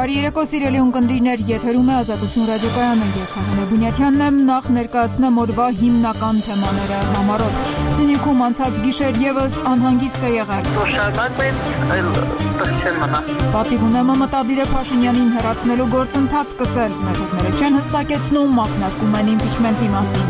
Բարի երեկո սիրելի ունկնդիրներ, եթերում է Ազատություն ռադիոկայանը, ես Հակոբ Բունյաթյանն եմ, նախ ներկայացնեմ օրվա հիմնական թեմաները համարոտ։ Սյունիքում անցած գիշեր եւս անհանգիստ է եղել։ Պատիվ ունեմը մտադիր է Փաշինյանին հեռացնելու գործընթաց սկսել, մեջուրները չեն հստակեցնում, մակնարկում են իմպիչմենտի մասին։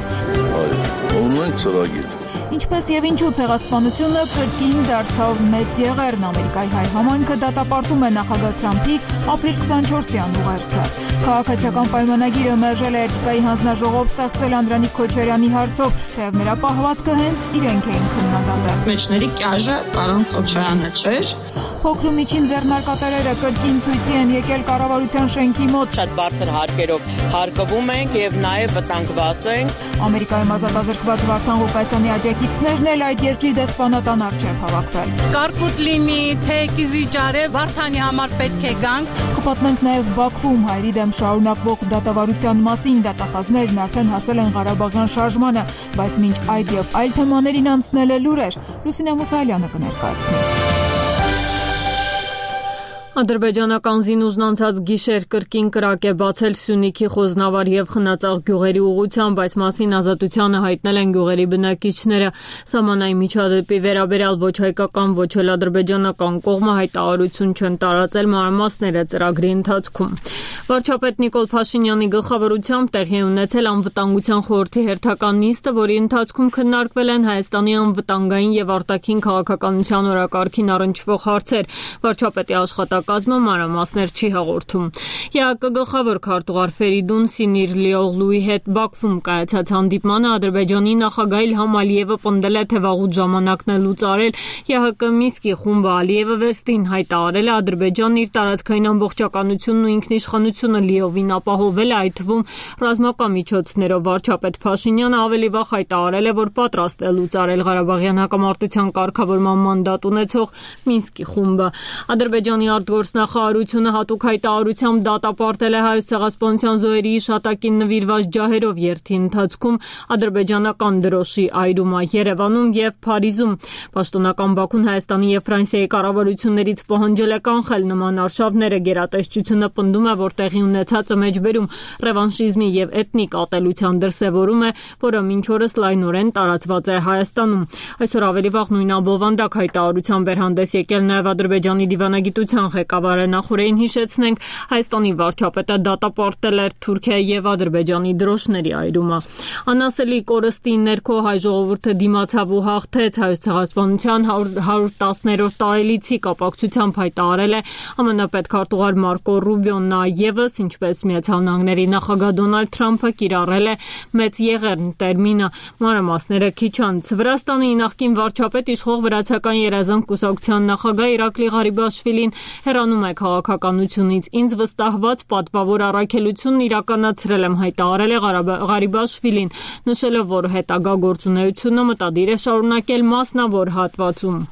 Օնլայն ծրագիր։ Ինչպես եւ ինչու ցեղասպանությունը կրկին դարձավ մեծ եղերն, Ամերիկայի հայ համայնքը դատապարտում է նախագահ Թրամփի ապրիլ 24-յան ուղերձը։ Քաղաքացիական պայմանագիրը մերժել է Էթիկայի հանձնաժողով ստեղծել Անդրանիկ Քոչարյանի հարցով, թեև նրա պահվածքը հենց իրենք էին քննադատել։ Մեջների կյաժը պարոն Քոչարյանը չէր։ Փոքր ու միջին ձեռնարկատերերը կրկին ցույցի են եկել կառավարության շենքի մոտ։ Շատ բարձր հարկերով հարկվում ենք եւ նաեւ վտանգված ենք։ Ամերիկայում ազատազրկված Վարդան Ղուկասյանի աջակիցներն էլ այդ երկրի դեսպանատան առջև հավաքվել։ Կարկուտ լինի, թե կիզիջարե Վարդանի համար պետք է գանք։ Կպատմենք նաեւ Բաքվում հայերի դեմ շարունակվող դատավարության մասին, դատախազներն արդեն հասել են Ղարաբաղյան շարժմանը, բայց մինչ այդ եւ այլ թեմաներին անցնել է լուրեր։ Լուսինե Մուսայելյանը կներկայացնի։ Ադրբեջանական զինուժն անցած գիշեր կրկին կրակ է բացել Սյունիքի Խոզնավար եւ Խնածաղ գյուղերի ուղղությամբ, այս մասին Ազատությանը հայտնել են գյուղերի բնակիչները։ Սահմանային միջադեպի վերաբերյալ ոչ հայկական, ոչ էլ ադրբեջանական կողմը հայտարարություն չեն տարածել, մանրամասները ծրագրի ընթացքում։ Վարչապետ Նիկոլ Փաշինյանի գլխավորությամբ տեղի է ունեցել անվտանգության խորհրդի հերթական նիստը, որի ընթացքում քննարկվել են Հայաստանի անվտանգային եւ արտաքին քաղաքականության օրակարգին առնչվող հարցեր։ Վարչապետի աշխատակազմը մանրամասներ չի հաղորդում։ ԵԱԿ գլխավոր քարտուղար Ֆերիդուն Սինիրլիօղլուի հետ Բաքվում կայացած հանդիպմանը Ադրբեջանի նախագահ Իլհամ Ալիևը պնդել է, թե վաղուց ժամանակն է լուծարել ԵԱՀԿ Մինսկի խումբը Ալիևը վերստին հայտարարել է Ադրբեջանն իր տարածքային ամբողջականությունն ու ինքնիշխանությունը լիովին ապահովել է, այդ թվում ռազմական միջոցներով։ Վարչապետ Փաշինյանը ավելի վաղ հայտարարել է, որ պատրաստ է լուծարել Ղարաբաղյան հակամարտության կարգավորման մանդատ ունեցող Մինսկի խումբը։ Ադրբեջանի արտգործնախարարությունը հատուկ հայտարարությամբ դատապարտել է Հայոց ցեղասպանության զոհերի հիշատակին նվիրված ջահերով երթի ընթացքում ադրբեջանական դրոշի այրումը Երևանում եւ Փարիզում։ Պաշտոնական Բաքուն Հայաստանի եւ Ֆրանսիայի կառավարություններից պահանջել է կանխել նման արշավները։ Գերատեսչությունը պնդում է, որ տեղի ունեցածը մեջբերում ռևանշիզմի եւ էթնիկ ատելության դրսեւորում է, որը մինչ օրս լայնորեն տարածված է Հայաստանում։ Այսօր ավելի վաղ նույն ամբողջությամբ հայտարարության վերհանդես եկել նաեւ Ադրբեջանի դիվանագիտության ղեկավարը։ Նախորդին հիշեցնենք, Հայաստանի վարչապետը դատապարտել էր Թուրքիայի եւ Ադրբեջանի դրոշների այրումը։ Անասելի կորստի ներքո հայ ժողովուրդը դիմացավ ու հաղթեց։ Հայոց ցեղասպանության 110-րդ տարելիցի կապակցությամբ հայտարարել է ԱՄՆ պետքարտուղար Մարկո Ռուբիոն։ Նա եւս, ինչպես Միացյալ Նահանգների նախագահ Դոնալդ Թրամփը, կիրառել է մեծ եղերն տերմինը։ Մանրամասները քիչ անց Վրաստանի նախկին վարչապետ, իշխող Վրացական երազանք կուսակցության նախագահ Իրակլի Ղարիբաշվիլին հեռանում է քաղաքականությունից։ Ինձ վստահված պատվավոր առաքելությունն իրականացրել եմ, հայտարարել է Ղարիբաշվիլին, նշելով, որ հետագա գործունեությունը մտադիր է շարունակել մասնավոր հատվածում։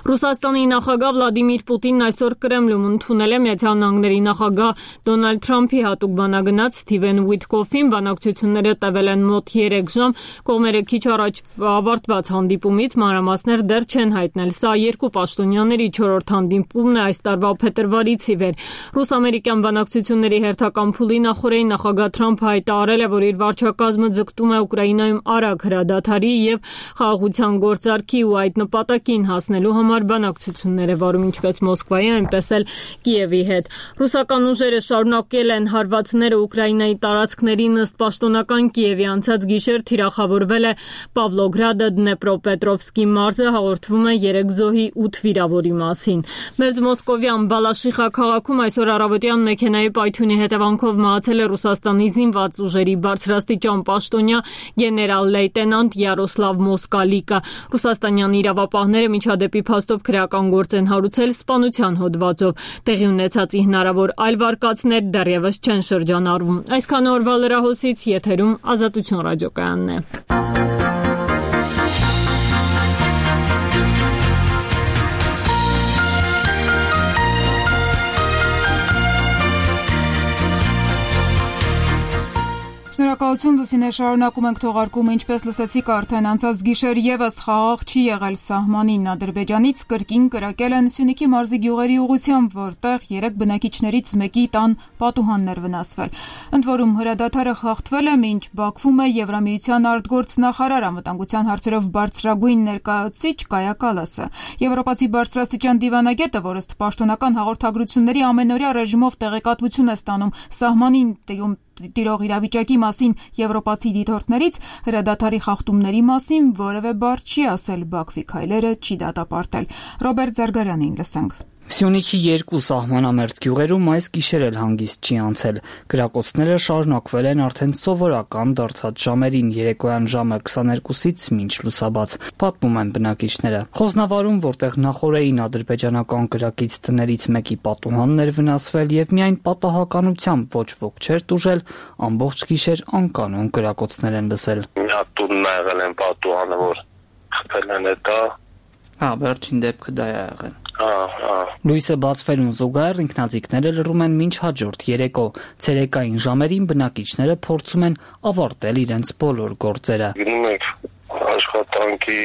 Ռուսաստանի նախագահ Վլադիմիր Պուտինն այսօր Կրեմլում ընդունել է Միացյալ Նահանգների նախագահ Դոնալդ Թրամփի հատուկ բանագնաց Սթիվեն Ուիթկոֆին։ Բանակցությունները տևել են մոտ 3 ժամ։ Կողմերը քիչ առաջ ավարտված հանդիպումից մանրամասներ դեռ չեն հայտնել։ Սա երկու պաշտոնյաների 4-րդ հանդիպումն է այս տարվա փետրվարից ի վեր։ Ռուս-ամերիկյան բանակցությունների հերթական փուլի նախորդին նախագահ Թրամփը հայտարարել է, որ իր վարչակազմը ձգտում է Ուկրաինայում արագ հրադադարի եւ խաղաղության գործարքի ու այդ նպատակին հասնելու համար բանակցություններ է վարում ինչպես Մոսկվայի, այնպես էլ Կիևի հետ։ Ռուսական ուժերը շարունակել են հարվածները Ուկրաինայի տարածքներին, ըստ պաշտոնական Կիևի անցած գիշեր թիրախավորվել է Պավլոգրադը, Դնեպրոպետրովսկի մարզը, հաղորդվում է 3 զոհի 8 վիրավորի մասին։ Մերձ Մոսկովյան Բալաշիխա քաղաքում այսօր առավոտյան մեքենայի պայթյունի հետևանքով մահացել է Ռուսաստանի զինված ուժերի բարձրաստիճան պաշտոնյա գեներալ-լեյտենանտ Յարոսլավ Մոսկալիկը։ Ռուսաստանյան իրավապահները միջադեպի փաստով քրեական գործ են հարուցել սպանության հոդվածով։ Տեղի ունեցածի հնարավոր այլ վարկածներ դեռևս չեն շրջանառվում։ Այսքան օրվա լրահոսից եթերում Ազատություն ռադիոկայանն է։ Շնորհակալ Շնորհակալություն Լուսինե, շարունակում ենք թողարկումը, ինչպես լսեցիք արդեն անցած գիշեր եւս խաղաղ չի եղել սահմանին Ադրբեջանից կրկին կրակել են Սյունիքի մարզի գյուղերի ուղղությամբ, որտեղ 3 բնակիչներից մեկի տան պատուհաններ վնասվել։ Ընդ որում հրադադարը խախտվել է, մինչ Բաքվում է Եվրամիության արտգործնախարար անվտանգության հարցերով բարձրագույն ներկայացուցիչ Կայա Կալասը։ Եվրոպացի բարձրաստիճան դիվանագետը, որ ըստ պաշտոնական հաղորդագրությունների ամենօրյա ռեժիմով տեղեկատվություն է ստանում սահմանին տիրող իրավիճակի մասին եվրոպացի դիտորդներից, հրադադարի խախտումների մասին որևէ բառ չի ասել, Բաքվի քայլերը չի դատապարտել։ Ռոբերտ Զարգարյանին լսենք։ Սյունիքի 2 սահմանամերձ գյուղերում այս գիշեր էլ հանգիստ չի անցել։ Կրակոցները շարունակվել են արդեն սովորական դարձած ժամերին, երեկոյան ժամը 22-ից մինչ լուսաբաց, պատմում են բնակիչները։ Խոզնավարում, որտեղ նախօրեին ադրբեջանական կրակից տներից մեկի պատուհանն էր վնասվել եւ միայն պատահականությամբ ոչ ոք չէր տուժել, ամբողջ գիշեր անկանոն կրակոցներ են լսել։ Մի հատ տունն ա եղել են պատուհանը, որ խփել են դա։ Վերջին դեպքը դա է եղել։ Լույսը բացվելուն զուգահեռ ինքնաձիգները լռում են մինչ հաջորդ երեկո։ Ցերեկային ժամերին բնակիչները փորձում են ավարտել իրենց բոլոր գործերը։ Գնում ենք աշխատանքի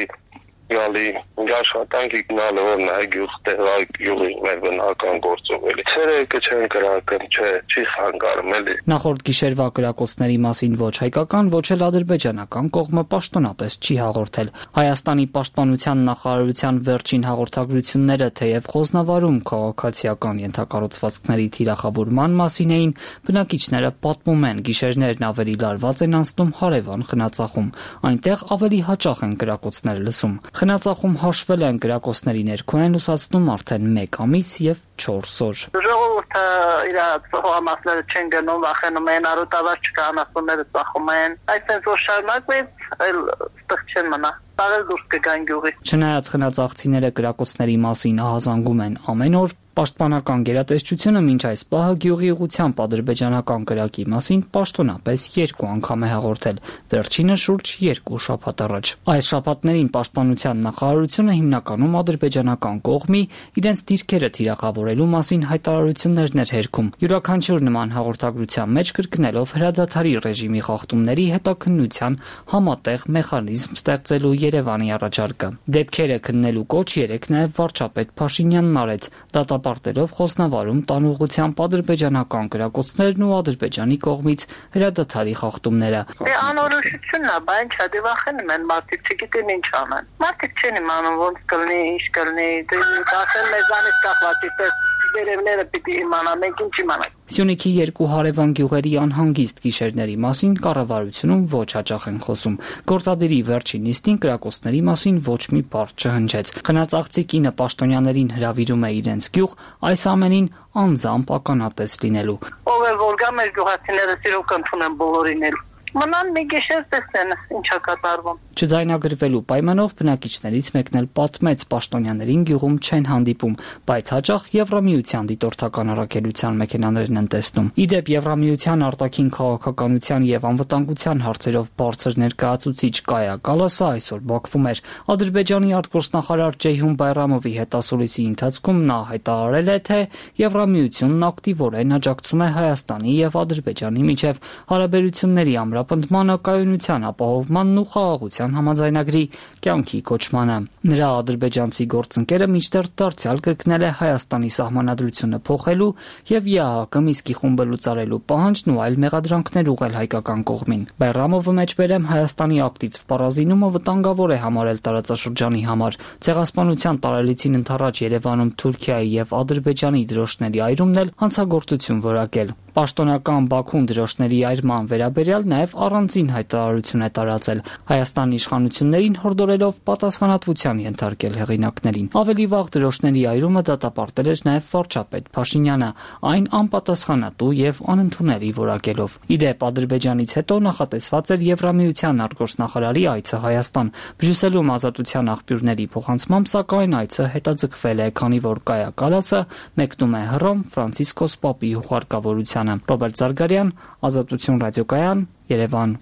գնալը որ նա գյուղի մեր բնական գործով էլի։ Ցերեկը չեն կրակում, չի խանգարում էլի։ Նախորդ գիշերվա կրակոցների մասին ոչ հայկական, ոչ էլ ադրբեջանական կողմը պաշտոնապես չի հաղորդել։ Հայաստանի պաշտպանության նախարարության վերջին հաղորդագրությունները թեև խոզնավարում քաղաքացիական ենթակառուցվածքների թիրախավորման մասին էին, բնակիչները պատմում են, գիշերներն ավելի լարված են անցնում հարևան Խնածախում։ Այնտեղ ավելի հաճախ են կրակոցներ լսում։ Խնածախում հաշվել են կրակոցների ներքո են լուսացնում արդեն 1 ամիս եւ 4 օր։ Ժողովուրդը իր հողամասները չեն գնում, վախենում են, արոտավար չկանացումները ծախում են։ Այսպես որ շարունակվեց, այլ ստեղ չեն մնա։ Տարել դուրս կգան գյուղի։ Չնայած խնածախցիները կրակոցների մասին ահազանգում են ամեն օր, պաշտպանական գերատեսչությունը մինչ այս պահը գյուղի ուղղությամբ ադրբեջանական կրակի մասին պաշտոնապես 2 անգամ է հաղորդել, վերջինը շուրջ 2 շաբաթ առաջ։ Այս շաբաթներին պաշտպանության նախարարությունը հիմնականում ադրբեջանական կողմի իրենց դիրքերը թիրախավորելու մասին հայտարարություններն էր հերքում, յուրաքանչյուր նման հաղորդագրության մեջ կրկնելով հրադադարի ռեժիմի խախտումների հետաքննության համատեղ մեխանիզմ ստեղծելու Երևանի առաջարկը։ Դեպքերը քննելու կոչ երեկ նաև վարչապետ Փաշինյանն արեց, դատապարտելով Խոզնավարում տան ուղղությամբ ադրբեջանական կրակոցներն ու Ադրբեջանի կողմից հրադադարի խախտումները։ Անորոշությունն է, բայց չդե վախենում են մարդիկ, չգիտեն ինչ անեն։ Մարդիկ չեն իմանում ոնց կլինի, ինչ կլինի, դասել մեզանից կախված է, վերևները պիտի իմանան, մենք ինչ իմանանք։ Սյունիքի 2 հարևան գյուղերի անհանգիստ գիշերների մասին կառավարությունում ոչ հաճախ են խոսում։ Գործադիրի վերջին նիստին կրակոցների մասին ոչ մի բառ չհնչեց։ Խնածաղցի կինը պաշտոնյաներին հրավիրում է իրենց գյուղ այս ամենին անձամբ ականատես լինելու։ Ով է որ գա մեր գյուղացիները սիրով կընդունեն բոլորին էլ։ Մնան մի գիշեր տեսնեն ինչա կատարվում։ Չձայնագրվելու պայմանով բնակիչներից մեկն էլ պատմեց պաշտոնյաներին գյուղում չեն հանդիպում, բայց հաճախ Եվրամիության դիտորդական առաքելության մեքենաներն են տեսնում։ Իդեպ Եվրամիության արտաքին քաղաքականության եւ անվտանգության հարցերով բարձր ներկայացուցիչ Կայա Կալասը այսօր Բաքվում էր։ Ադրբեջանի արտգործնախարար Ceyhun Bayramovի հետասուլիսի ընթացքում նա հայտարարել է, թե Եվրամիությունն ակտիվորեն աջակցում է Հայաստանի եւ Ադրբեջանի միջև հարաբերությունների ամրապնդմանը, կայունության ապահովմանն ու խաղաղության համաձայնագրի կյանքի կոչմանը։ Նրա ադրբեջանցի գործընկերը մինչդեռ դարձյալ կրկնել է Հայաստանի սահմանադրությունը փոխելու եւ ԵԱՀԿ Միսկի խումբը լուծարելու պահանջն ու այլ մեղադրանքներ ուղղել հայկական կողմին։ Բայրամովը մեջբերեմ Հայաստանի ակտիվ սպառազինումը վտանգավոր է համարել տարածաշրջանի համար։ Ցեղասպանության տարելիցին ընթരാճ Երևանում Թուրքիայի եւ Ադրբեջանի դրոշների այրումն էլ հանցագործություն որակել։ Պաշտոնական Բաքուն դրոշների այրման վերաբերյալ նաև առանձին հայտարարություն է տարածել, Հայաստանի իշխանություններին հորդորելով պատասխանատվության ենթարկել հեղինակներին։ Ավելի վաղ դրոշների այրումը դատապարտել էր նաև վարչապետ Փաշինյանը, այն անպատասխանատու եւ անընդունելի որակելով։ Իդեպ Ադրբեջանից հետո նախատեսված էր Եվրամիության արտգործնախարարի այցը Հայաստան։ Բրյուսելում ազատության աղբյուրների փոխանցմամբ սակայն այցը հետաձգվել է, քանի որ Կայա Կալասը մեկնում է Հռոմ Ֆրանցիսկոս Պապի հուղարկավորությամբ։ Ռոբերտ Զարգարյան, Ազատություն ռադիոկայան, Երևան։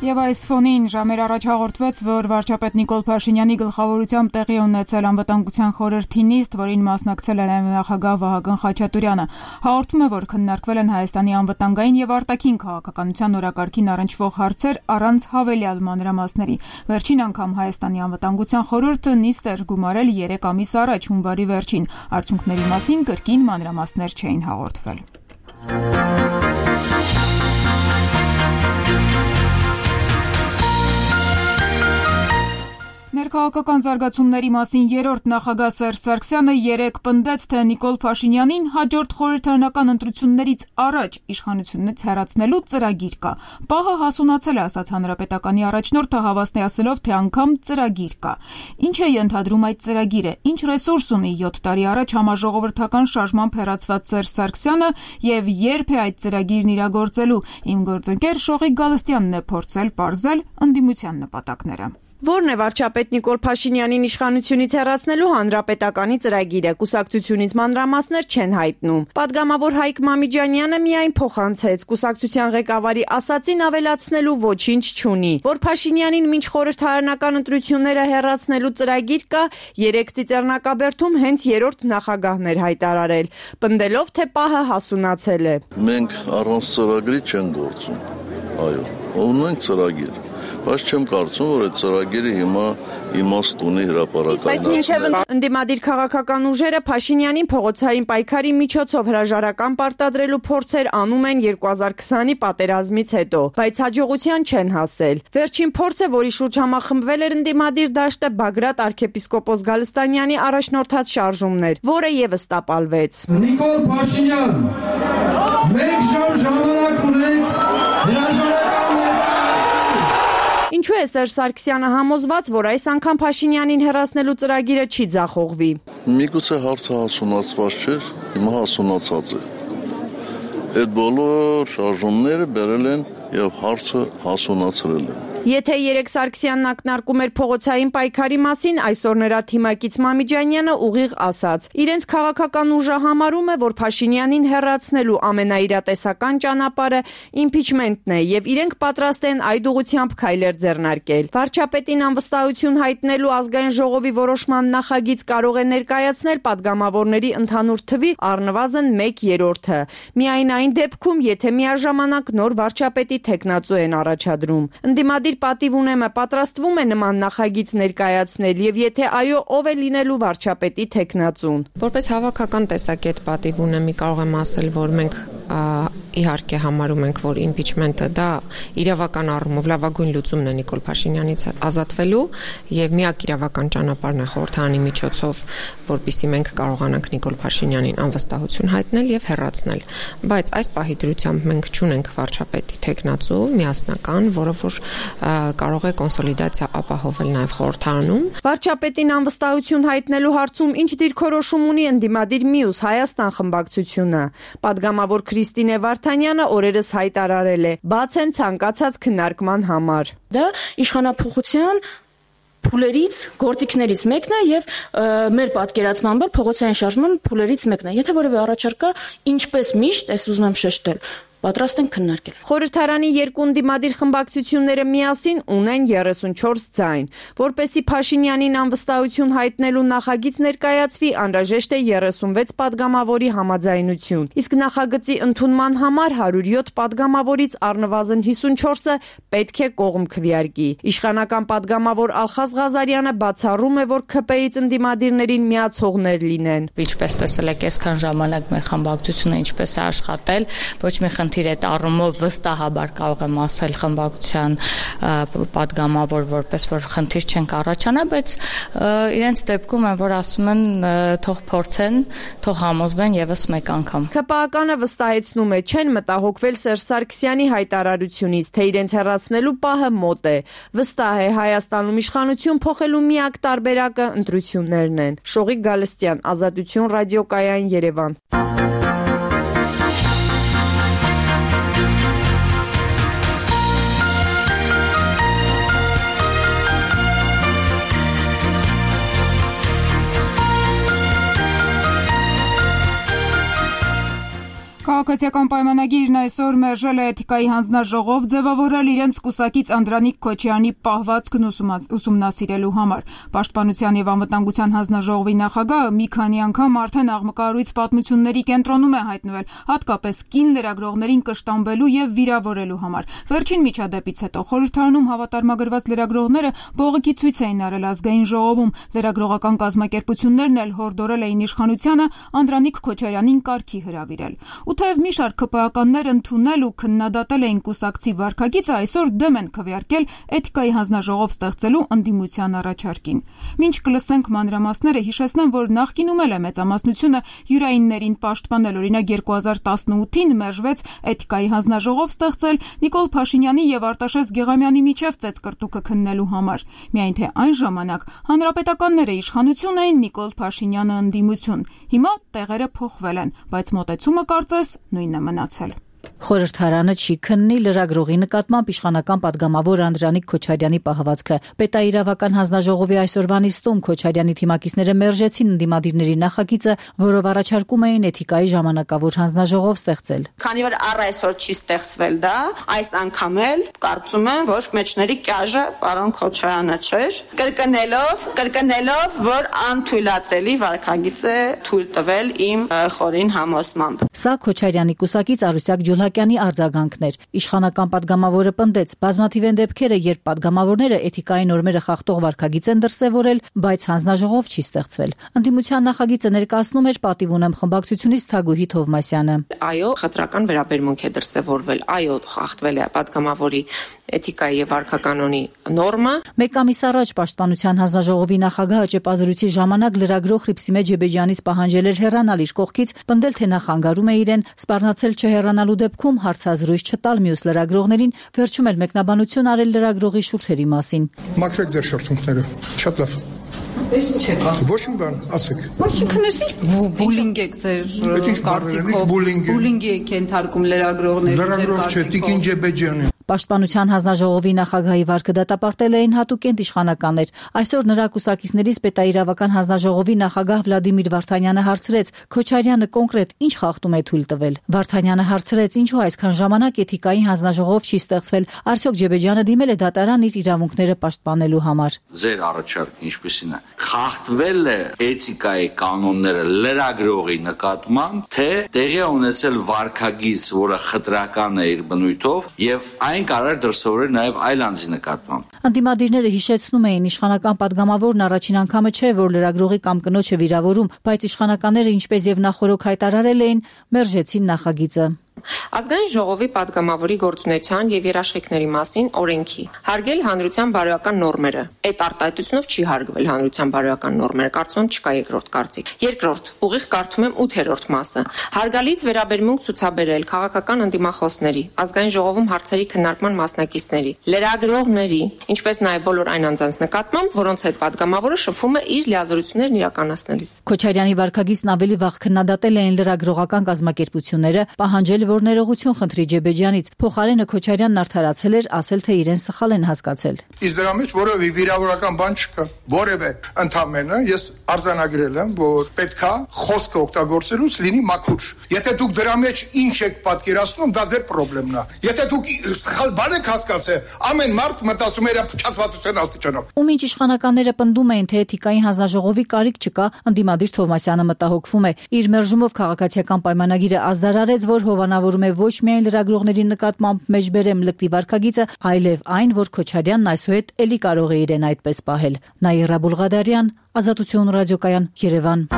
Եվ այս ֆոնին ժամեր առաջ հաղորդվեց, որ վարչապետ Նիկոլ Փաշինյանի գլխավորությամբ տեղի ունեցել անվտանգության խորհրդի նիստ, որին մասնակցել է նախագահ Վահագն Խաչատուրյանը։ Հաղորդում է, որ քննարկվել են Հայաստանի անվտանգային եւ արտաքին քաղաքականության օրակարգին առնչվող հարցեր առանց հավելյալ մանրամասների։ Վերջին անգամ Հայաստանի անվտանգության խորհուրդը նիստ էր գումարել 3 ամիս առաջ, հունվարի վերջին։ Արդյունքների մասին կրկին մանրամասներ չէին հաղորդվել։ Ներքաղաքական զարգացումների մասին երրորդ նախագահ Սերժ Սարգսյանը երեկ պնդեց, թե Նիկոլ Փաշինյանին հաջորդ խորհրդարանական ընտրություններից առաջ իշխանությունից հեռացնելու ծրագիր կա։ Պահը հասունացել է, ասաց հանրապետականի առաջնորդը, հավաստիացնելով, թե անգամ ծրագիր կա։ Ինչ է ենթադրում այդ ծրագիրը, ինչ ռեսուրս ունի 7 տարի առաջ համաժողովրդական շարժմամբ հեռացված Սերժ Սարգսյանը եւ երբ է այդ ծրագիրն իրագործելու։ Իմ գործընկեր Շողիկ Գալստյանն է փորձել պարզել ընդդիմության նպատակները։ Որն է վարչապետ Նիկոլ Փաշինյանին իշխանությունից հեռացնելու հանրապետականի ծրագիրը, կուսակցությունից մանրամասներ չեն հայտնում։ Պատգամավոր Հայկ Մամիջանյանը միայն փոխանցեց, կուսակցության ղեկավարի ասածին ավելացնելու ոչինչ չունի։ Որ Փաշինյանին մինչ խորհրդարանական ընտրությունները հեռացնելու ծրագիր կա, երեք ծիծեռնակաբերդում հենց երրորդ նախագահն էր հայտարարել, պնդելով, թե պահը հասունացել է։ Մենք առանց ծրագրի չենք գործում։ Այո, ունենք ծրագիր։ Բայց չեմ կարծում, որ այդ ծրագիրը հիմա իմաստ ունի հրապարակայնացնել։ Ընդդիմադիր քաղաքական ուժերը Փաշինյանին փողոցային պայքարի միջոցով հրաժարական պարտադրելու փորձեր անում են 2020-ի պատերազմից հետո, բայց հաջողության չեն հասել։ Վերջին փորձը, որի շուրջ համախմբվել էր ընդդիմադիր դաշտը, Բագրատ arczepiskopos Գալստանյանի առաջնորդած շարժումն էր, որը եւս տապալվեց։ Նիկոլ Փաշինյան, մենք ժամանակ ունենք հրաժարական Ինչու է Սերժ Սարգսյանը համոզված, որ այս անգամ Փաշինյանին հեռացնելու ծրագիրը չի ձախողվի։ Միգուցե հարցը հասունացված չէր, հիմա հասունացած է։ Այդ բոլոր շարժումները բերել են եւ հարցը հասունացրել են։ Եթե երեք Սարգսյանն ակնարկում էր փողոցային պայքարի մասին, այսօր նրա թիմակից Մամիջանյանը ուղիղ ասաց. իրենց քաղաքական ուժը համարում է, որ Փաշինյանին հեռացնելու ամենաիրատեսական ճանապարհը իմպիչմենտն է եւ իրենք պատրաստ են այդ ուղղությամբ քայլեր ձեռնարկել։ Վարչապետին անվստահություն հայտնելու ազգային ժողովի որոշման նախագիծ կարող է ներկայացնել падգամավորների ընդհանուր թվի առնվազն 1/3-ը։ Միայն այն դեպքում, եթե միաժամանակ նոր վարչապետի թեկնածու են առաջադրում։ Ընդդիմադիր պատիվ ունեմը պատրաստվում է նման նախագիծ ներկայացնել եւ եթե այո, ով է լինելու վարչապետի թեկնածուն։ Որպես հավաքական տեսակետ պատիվ ունեմի կարող եմ ասել, որ մենք իհարկե համարում ենք, որ իմպիչմենտը դա իրավական առումով լավագույն լուծումն է Նիկոլ Փաշինյանից ազատվելու եւ միակ իրավական ճանապարհն է խորհրդարանի միջոցով, որպեսզի մենք կարողանանք Նիկոլ Փաշինյանին անվստահություն հայտնել եւ հեռացնել։ Բայց այս պահի դրությամբ մենք չունենք վարչապետի թեկնածու միասնական, որը որ կարող է կոնսոլիդացիա ապահովել նաև խորհրդարանում։ Վարչապետին անվստահություն հայտնելու հարցում ինչ դիրքորոշում ունի ընդդիմադիր Միուս Հայաստան խմբակցությունը։ Պատգամավոր Քրիստինե Վարդանյանը օրերս հայտարարել է. բաց են ցանկացած քննարկման համար։ Դա իշխանափոխության փուլերից, գործիքներից մեկն է եւ մեր պատկերացմամբ փողոցային շարժման փուլերից մեկն է։ Եթե որևէ առաջարկա, ինչպես միշտ, ես ուզում եմ շեշտել, պատրաստ են քննարկել։ Խորհրդարանի երկու ընդդիմադիր խմբակցությունները միասին ունեն 34 ձայն։ Որպեսզի Փաշինյանին անվստահություն հայտնելու նախագիծ ներկայացվի, անհրաժեշտ է 36 падգամավորի համաձայնություն։ Իսկ նախագծի ընդունման համար 107 падգամավորից առնվազն 54-ը պետք է կողմ քվեարկի։ Իշխանական падգամավոր Ալխազ Ղազարյանը բացառում է, որ ՔՊ-ից ընդդիմադիրներին միացողներ լինեն։ Ինչպես տեսել եք, այսքան ժամանակ մեր խմբակցությունը ինչպես է աշխատել, ոչ մի խնդիր այդ առումով վստահաբար կարող եմ ասել խմբակցության падգամավոր, որպես որ խնդիր չենք առաջանա, բայց իրենց դեպքում են, որ ասում են թող փորձեն, թող համոզվեն եւս մեկ անգամ։ ՔՊԱ-կանը վստահեցնում է, չեն մտահոգվել Սերժ Սարգսյանի հայտարարությունից, թե իրենց հեռացնելու պահը մոտ է։ Վստահ է, Հայաստանում իշխանություն փոխելու միակ տարբերակը ընտրություններն են։ Շողիկ Գալստյան, Ազատություն ռադիոկայան, Երևան։ Քաղաքացիական պայմանագիրն այսօր մերժել է էթիկայի հանձնաժողով ձևավորել իրենց կուսակից Անդրանիկ Քոչարյանի պահվածքն ուսումնասիրելու համար։ Պաշտպանության եւ անվտանգության հանձնաժողովի նախագահը մի քանի անգամ արդեն աղմկահարույց պատմությունների կենտրոնում է հայտնվել, հատկապես կին լրագրողներին կշտամբելու եւ վիրավորելու համար։ Վերջին միջադեպից հետո խորհրդարանում հավատարմագրված լրագրողները բողոքի ցույց էին արել ազգային ժողովում։ Լրագրողական կազմակերպություններն էլ հորդորել էին իշխանությանը Անդրանիկ Քոչարյանին կարգի հրավիրել։ Ու թեև մի շարք ԿՊԱ-կաններ ընդունել ու քննադատել էին կուսակցի վարքագիծը, այսօր դեմ են քվեարկել էթիկայի հանձնաժողով ստեղծելու ընդդիմության առաջարկին։ Մինչ կլսենք մանրամասները, հիշեցնեմ, որ նախկինում էլ է մեծամասնությունը յուրայիններին պաշտպանել։ Օրինակ 2018-ին մերժվեց էթիկայի հանձնաժողով ստեղծել Նիկոլ Փաշինյանի եւ Արտաշես Գեղամյանի միջև ծեծկռտուքը քննելու համար։ Միայն թե այն ժամանակ հանրապետականները իշխանություն էին, Նիկոլ Փաշինյանը ընդդիմություն։ Հիմա տեղերը փոխվել են, բայց մոտեցումը կարծես նույնն է մնացել։ Խորհրդարանը չի քննի լրագրողի նկատմամբ իշխանական падգամավոր Անդրանիկ Քոչարյանի պահվածքը։ Պետաիրավական հանձնաժողովի այսօրվա նիստում Քոչարյանի թիմակիցները մերժեցին ընդդիմադիրների նախագիծը, որով առաջարկում էին էթիկայի ժամանակավոր հանձնաժողով ստեղծել։ Քանի որ առ այսօր չի ստեղծվել դա, այս անգամ էլ կարծում եմ, որ մեջների կյաժը պարոն Քոչարյանը չէր, կրկնելով, որ անթույլատրելի վարքագիծ է թույլ տվել իմ խորին համոզմամբ։ Սա Քոչարյանի կուսակից Արուսյակ Ջուլհակյանի արձագանքներ։ Իշխանական падգամավորը պնդեց, բազմաթիվ են դեպքերը, երբ падգամավորները էթիկայի նորմերը խախտող վարքագիծ են դրսևորել, բայց հանձնաժողով չի ստեղծվել։ Ընդդիմության նախագիծը ներկայացնում էր պատիվ ունեմ խմբակցությունից Թագուհի Թովմասյանը։ Այո, խտրական վերաբերմունք է դրսևորվել, այո, խախտվել է падգամավորի էթիկայի եւ վարքականոնի նորմը։ Մեկ ամիս առաջ Պաշտպանության հանձնաժողովի նախագահը ճեպազրույցի ժամանակ լրագրող Խրիփսիմե Ջեբեջյանից պահանջել էր հեռանալ իր կողքից, պնդել թե նա խանգարում է իրեն, սպառնացել չհեռանալու դեպքում հարցազրույց չտալ մյուս լրագրողներին, վերջում էլ մեկնաբանություն արել լրագրողի շուրթերի մասին։ Մաքրեք ձեր շուրթունքները, շատ լավ։ Ես ինչ եք ասում։ Ոչ մի բան, ասեք։ Այսինքն ես ինչ բուլինգ եք ձեր կարծիքով, բուլինգի եք ենթարկում լրագրողներին։ Լրագրող չէ, Տիկին Ջեբեջյանին։ Պաշտպանության հանձնաժողովի նախագահի վարքը դատապարտել էին հատուկենտ իշխանականներ։ Այսօր նրա կուսակիցներից պետաիրավական հանձնաժողովի նախագահ Վլադիմիր Վարդանյանը հարցրեց. Քոչարյանը կոնկրետ ինչ խախտում է թույլ տվել։ Վարդանյանը հարցրեց. ինչու այսքան ժամանակ էթիկայի հանձնաժողով չի ստեղծվել։ Արդյոք Ջեբեջյանը դիմել է դատարան իր իրավունքները պաշտպանելու համար։ Ձեր առաջարկը ինչպեսին է։ Խախտվել է էթիկայի կանոնները լրագրողի նկատմամբ, թե տեղի է ունեցել վարքագիծ, որը խտրական է իր բնույթով եւ այն կարող դրսևորել նաև այլ անձի նկատմամբ։ Ընդդիմադիրները հիշեցնում էին, իշխանական падգամավորն առաջին անգամը չէ, որ լրագրողի կամ կնոջը վիրավորում, բայց իշխանականները, ինչպես եւ նախորոք հայտարարել էին, մերժեցին նախագիծը։ Ազգային ժողովի падգամավորի գործունեության եւ երաշխիքների մասին օրենքի հարգել հանրության բարոյական նորմերը։ Այդ արտահայտությունով չի հարգվել հանրության բարոյական նորմերը, կարծում եմ չկա երկրորդ կարծիք։ Երկրորդ, ուղիղ կարդում եմ 8-րդ մասը։ Հարգալից վերաբերմունք ցուցաբերել քաղաքական ընդդիմախոսների, ազգային ժողովում հարցերի քննարկման մասնակիցների, լրագրողների, ինչպես նաեւ բոլոր այն անձանց նկատմամբ, որոնց հետ падգամավորը շփվում է իր լիազորություններն իրականացնելիս։ Քոչարյանի վարքագիծն ավելի վաղ քննադատել էին լրագրողական կազմակերպությունները, պահանջել որ ներողություն խնդրի Ջեբեջյանից, փոխարենը Քոչարյանն արդարացել էր, ասել թե իրեն սխալ են հասկացել։ Իսկ դրա մեջ որևէ վիրավորական բան չկա, որևէ ընդամենը ես արձանագրել եմ, որ պետքա խոսքը օգտագործելուց լինի մաքուր։ Եթե դուք դրա մեջ ինչ եք պատկերացնում, դա ձեր խնդիրն է։ Եթե դուք սխալ բան եք հասկացել, ամեն մարդ մտածում է իր փչացվածության աստիճանով։ Ու մինչ իշխանականները պնդում էին, թե էթիկայի հանձնաժողովի կարիք չկա, ընդդիմադիր Թովմասյանը մտահոգվում է։ Իր մերժումով քաղաքացիական պայմանագիրը ազդարարեց, որ հովանավորում է ոչ միայն լրագրողների նկատմամբ մեջբերեմ լկտի վարքագիծը, այլև այն, որ Քոչարյանն այսուհետ էլի կարող է իրեն այդպես պահել։ Նաիրա Բուլղադարյան, Ազատություն ռադիոկայան, Երևան։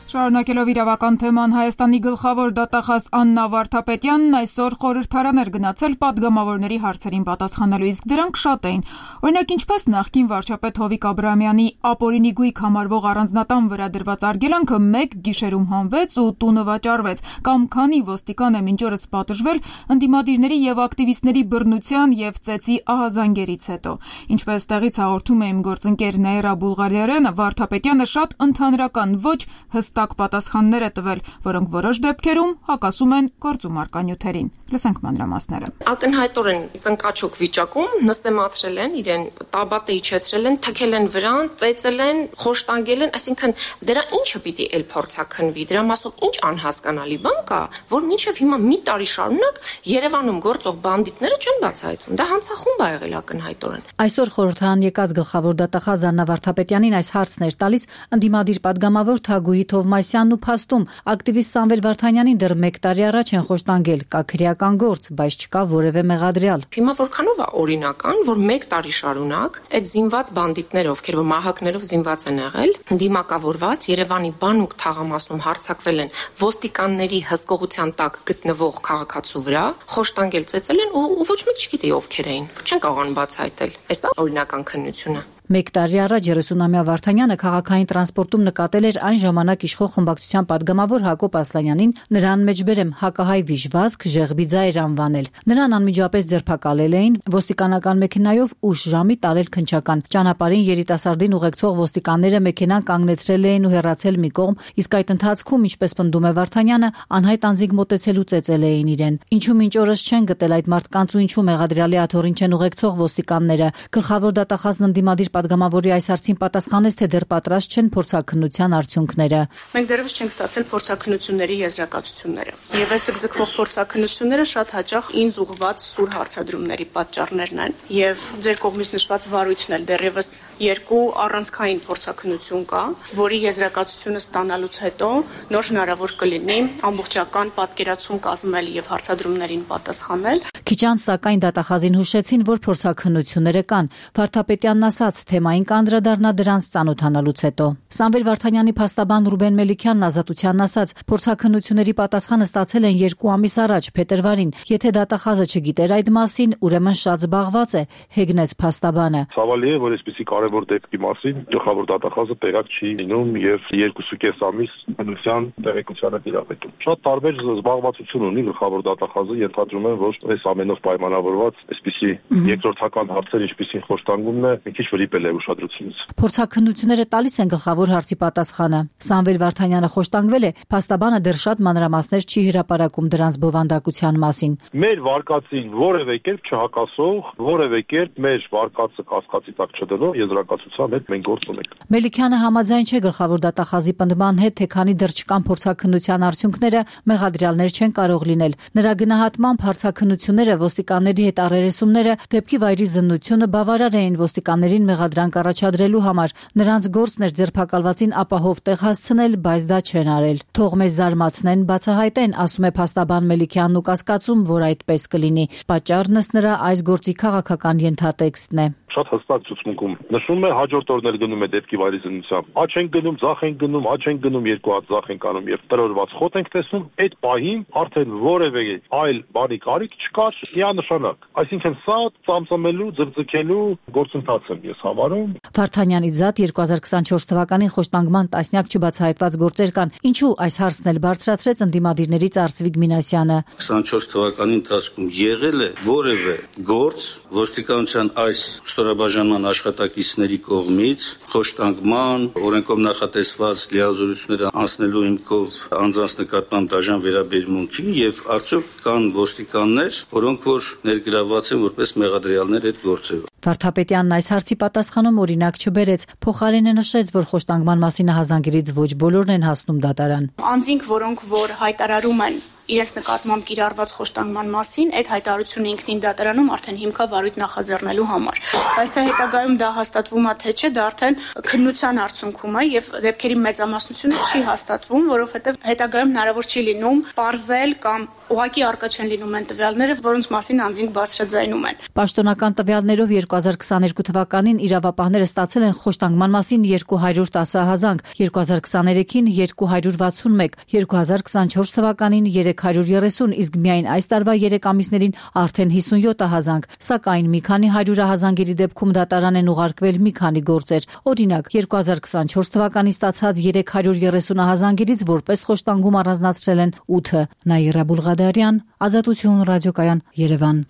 Շարունակելով իրավական թեման, Հայաստանի գլխավոր դատախազ Աննա Վարդապետյանն այսօր խորհրդարան էր գնացել падգամավորների հարցերին պատասխանելու, իսկ դրանք շատ էին։ Օրինակ, ինչպես նախկին վարչապետ Հովիկ Աբրահամյանի ապօրինի գույք համարվող առանձնատան վրա դրված արգելանքը մեկ գիշերում հանվեց ու տունը վաճառվեց, կամ քանի ոստիկան է մինչ օրս պատժվել ընդդիմադիրների եւ ակտիվիստների բռնության եւ ծեծի ահազանգերից հետո։ Ինչպես տեղից հաղորդում է իմ գործընկեր Նաիրա Բուլղարյանը, Վարդապետյանը շատ ընդհանրական, ոչ հստակ հստակ պատասխաններ է տվել, որոնք որոշ դեպքերում հակասում են գործում առկա նյութերին։ Լսենք մանրամասները։ Ակնհայտորեն ծնկաչոք վիճակում նսեմացրել են իրեն, տաբատը իջեցրել են, թքել են վրան, ծեծել են, խոշտանգել են, այսինքն դրա ինչը պիտի էլ փորձաքննվի, դրա մասով ինչ անհասկանալի բան կա, որ մինչև հիմա մի տարի շարունակ Երևանում գործող բանդիտները չեն բացահայտվում։ Դա հանցախումբ է եղել ակնհայտորեն։ Այսօր խորհրդարան եկած գլխավոր դատախազ Աննա Վարդապետյանին այս հարցն էր տալիս ընդդիմադիր պատգամավոր Թագուհի Թովմասյանն ու փաստում ակտիվիստ Սամվել Վարդանյանին դեռ 1 տարի առաջ են խոշտանգել, կա քրեական գործ, բայց չկա որևէ մեղադրյալ։ Հիմա որքանով է օրինական, որ 1 տարի շարունակ այդ զինված բանդիտները, ովքեր որ մահակներով զինված են եղել, դիմակավորված Երևանի բանուկ թաղամասում հարձակվել են ոստիկանների հսկողության տակ գտնվող քաղաքացու վրա, խոշտանգել, ծեծել են ու ոչ մեկ չգիտի ովքեր էին, չեն կարողանում բացահայտել։ Էսա օրինական քննությունը։ 1 տարի առաջ 30-ամյա Վարդանյանը քաղաքային տրանսպորտում նկատել էր այն ժամանակ իշխող խմբակցության պատգամավոր Հակոբ Ասլանյանին, նրան մեջբերեմ հակահայ վիժվածք, ժեղբի ձայր անվանել։ Նրան անմիջապես ձերբակալել էին, ոստիկանական մեքենայով ուշ ժամի տարել քնչական։ Ճանապարհին երիտասարդին ուղեկցող ոստիկանները մեքենան կանգնեցրել էին ու հեռացել մի կողմ, իսկ այդ ընթացքում, ինչպես պնդում է Վարդանյանը, անհայտ անձինք մոտեցել ու ծեծել էին իրեն։ Ինչու մինչ օրս չեն գտել այդ մարդկանց ու ինչու մեղադրյալի աթոռին չեն ուղեկցող ոստիկանները։ Գլխավոր դատախազն ընդդիմադիր պատգամավորի այս հարցին պատասխանեց, թե դեռ պատրաստ չեն փորձաքննության արդյունքները։ Մենք դեռևս չենք ստացել փորձաքննությունների եզրակացությունները։ Եվ այս ձգձգվող փորձաքննությունները շատ հաճախ ինձ ուղղված սուր հարցադրումների պատճառներն են։ Եվ ձեր կողմից նշված վարույթն էլ դեռևս 2 առանցքային փորձաքննություն կա, որի եզրակացությունը ստանալուց հետո նոր հնարավոր կլինի ամբողջական պատկերացում կազմել եւ հարցադրումներին պատասխանել։ Քիչ անց սակայն դատախազին հուշեցին, որ փորձաքննությունները կան։ Վարդապետյանն ասաց, թեմային կանդրադառնա դրանց ծանոթանալուց հետո։ Սամվել Վարդանյանի փաստաբան Ռուբեն Մելիքյանն Ազատությանն ասաց, փորձաքննությունների պատասխանը ստացել են 2 ամիս առաջ, փետրվարին։ Եթե դատախազը չգիտեր այդ մասին, ուրեմն շատ զբաղված է, հեգնեց փաստաբանը։ Ցավալի է, որ այսպիսի կարևոր դեպքի մասին գլխավոր դատախազը տեղյակ չի լինում եւ 2.5 ամիս բնության տեղեկությանը տիրապետում։ Շատ տարբեր զբաղվածություն ունի գլխավոր դատախազը, ենթադրում եմ, որ այս ամենով պայմանավորված այսպիսի երկրորդական հարցեր, ինչպիսին խոշտանգումն է, մի քիչ վրիպել է ուշադրությունից։ Փորձաքննությունները տալիս են գլխավոր հարցի պատասխանը։ Սամվել Վարդանյանը խոշտանգվել է, փաստաբանը դեռ շատ մանրամասներ չի հրապարակում դրանց բովանդակության մասին։ Մեր վարկածին որևէ կերպ չհակասող, որևէ կերպ մեր վարկածը կասկածի տակ չդնող եզրակացության հետ մենք գործ ունենք։ Մելիքյանը համաձայն չէ գլխավոր դատախազի պնդման հետ, թե քանի դեռ չկան փորձաքննության արդյունքները, մեղադրյալներ չեն կարող լինել։ Նրա գնահատմամբ հարցաքննությունները, ոստիկանների հետ առերեսումները, դեպքի վայրի զննությունը բավարար էին ոստիկաններին մեղադրանք առաջադրելու համար։ Նրանց գործն էր ձերբակալվածին ապահով տեղ հասցնել, բայց դա չեն արել։ Թող մեզ զարմացնեն, բացահայտեն, ասում է փաստաբան Մելիքյանն ու կասկածում, որ այդպես կլինի։ Պատճառն ըստ նրա այս գործի քաղաքական ենթատեքստն է։ Շատ հստակ ցուցմունքում նշում է հաջորդ օրն էլ գնում է դեպքի վայրի զննությամբ։ Աչ են գնում, ձախ են գնում, աչ են գնում, 2 հատ ձախ են կանում եւ տրորված խոտ ենք տեսնում։ Այդ պահին արդեն որևէ այլ բանի կարիք չկար միանշանակ։ Այսինքն սա ծամծամելու, ձգձգելու գործընթաց եմ ես համարում։ Վարդանյանից զատ 2024 թվականին խոշտանգման տասնյակ չբացահայտված գործեր կան։ Ինչու այս հարցն էլ բարձրացրեց ընդդիմադիրներից Արծվիկ Մինասյանը։ 24 թվականի ընթացքում եղել է որևէ գործ ոստիկանության այս ստորաբաժանման աշխատակիցների կողմից խոշտանգման, օրենքով նախատեսված լիազորությունները անցնելու հիմքով անձանց նկատմամբ դաժան վերաբերմունքի եւ արդյոք կան ոստիկաններ, որոնք որ ներգրավված են որպես մեղադրյալներ այդ գործերով։ Վարդապետյանն այս հարցի պատասխանում օրինակ չբերեց, փոխարենը նշեց, որ խոշտանգման մասին հազանգերից ոչ բոլորն են հասնում դատարան։ Անձինք, որոնք որ հայտարարում են իրենց նկատմամբ կիրառված խոշտանգման մասին, այդ հայտարարությունը ինքնին դատարանում արդեն հիմքա վարույթ նախաձեռնելու համար։ Բայց թե հետագայում դա հաստատվում է թե չէ, դա արդեն քննության արդյունքում է եւ դեպքերի մեծամասնությունը չի հաստատվում, որովհետեւ հետագայում հնարավոր չի լինում պարզել կամ ուղղակի արկա չեն լինում այն տվյալները, որոնց մասին անձինք բարձրաձայնում են։ Պաշտոնական տվյալներով 2022 թվականին իրավապահները ստացել են խոշտանգման մասին 210 հազանգ, 2023-ին 261, 2024 թվականին 330, իսկ միայն այս տարվա 3 ամիսներին արդեն 57 հազանգ, սակայն մի քանի 100 հազանգերի դեպքում դատարան են ուղարկվել մի քանի գործեր։ Օրինակ, 2024 թվականին ստացած 330 հազանգերից որպես խոշտանգում առանձնացրել են 8-ը։ Նաիրա Բուլղադարյան, Ազատություն ռադիոկայան, Երևան։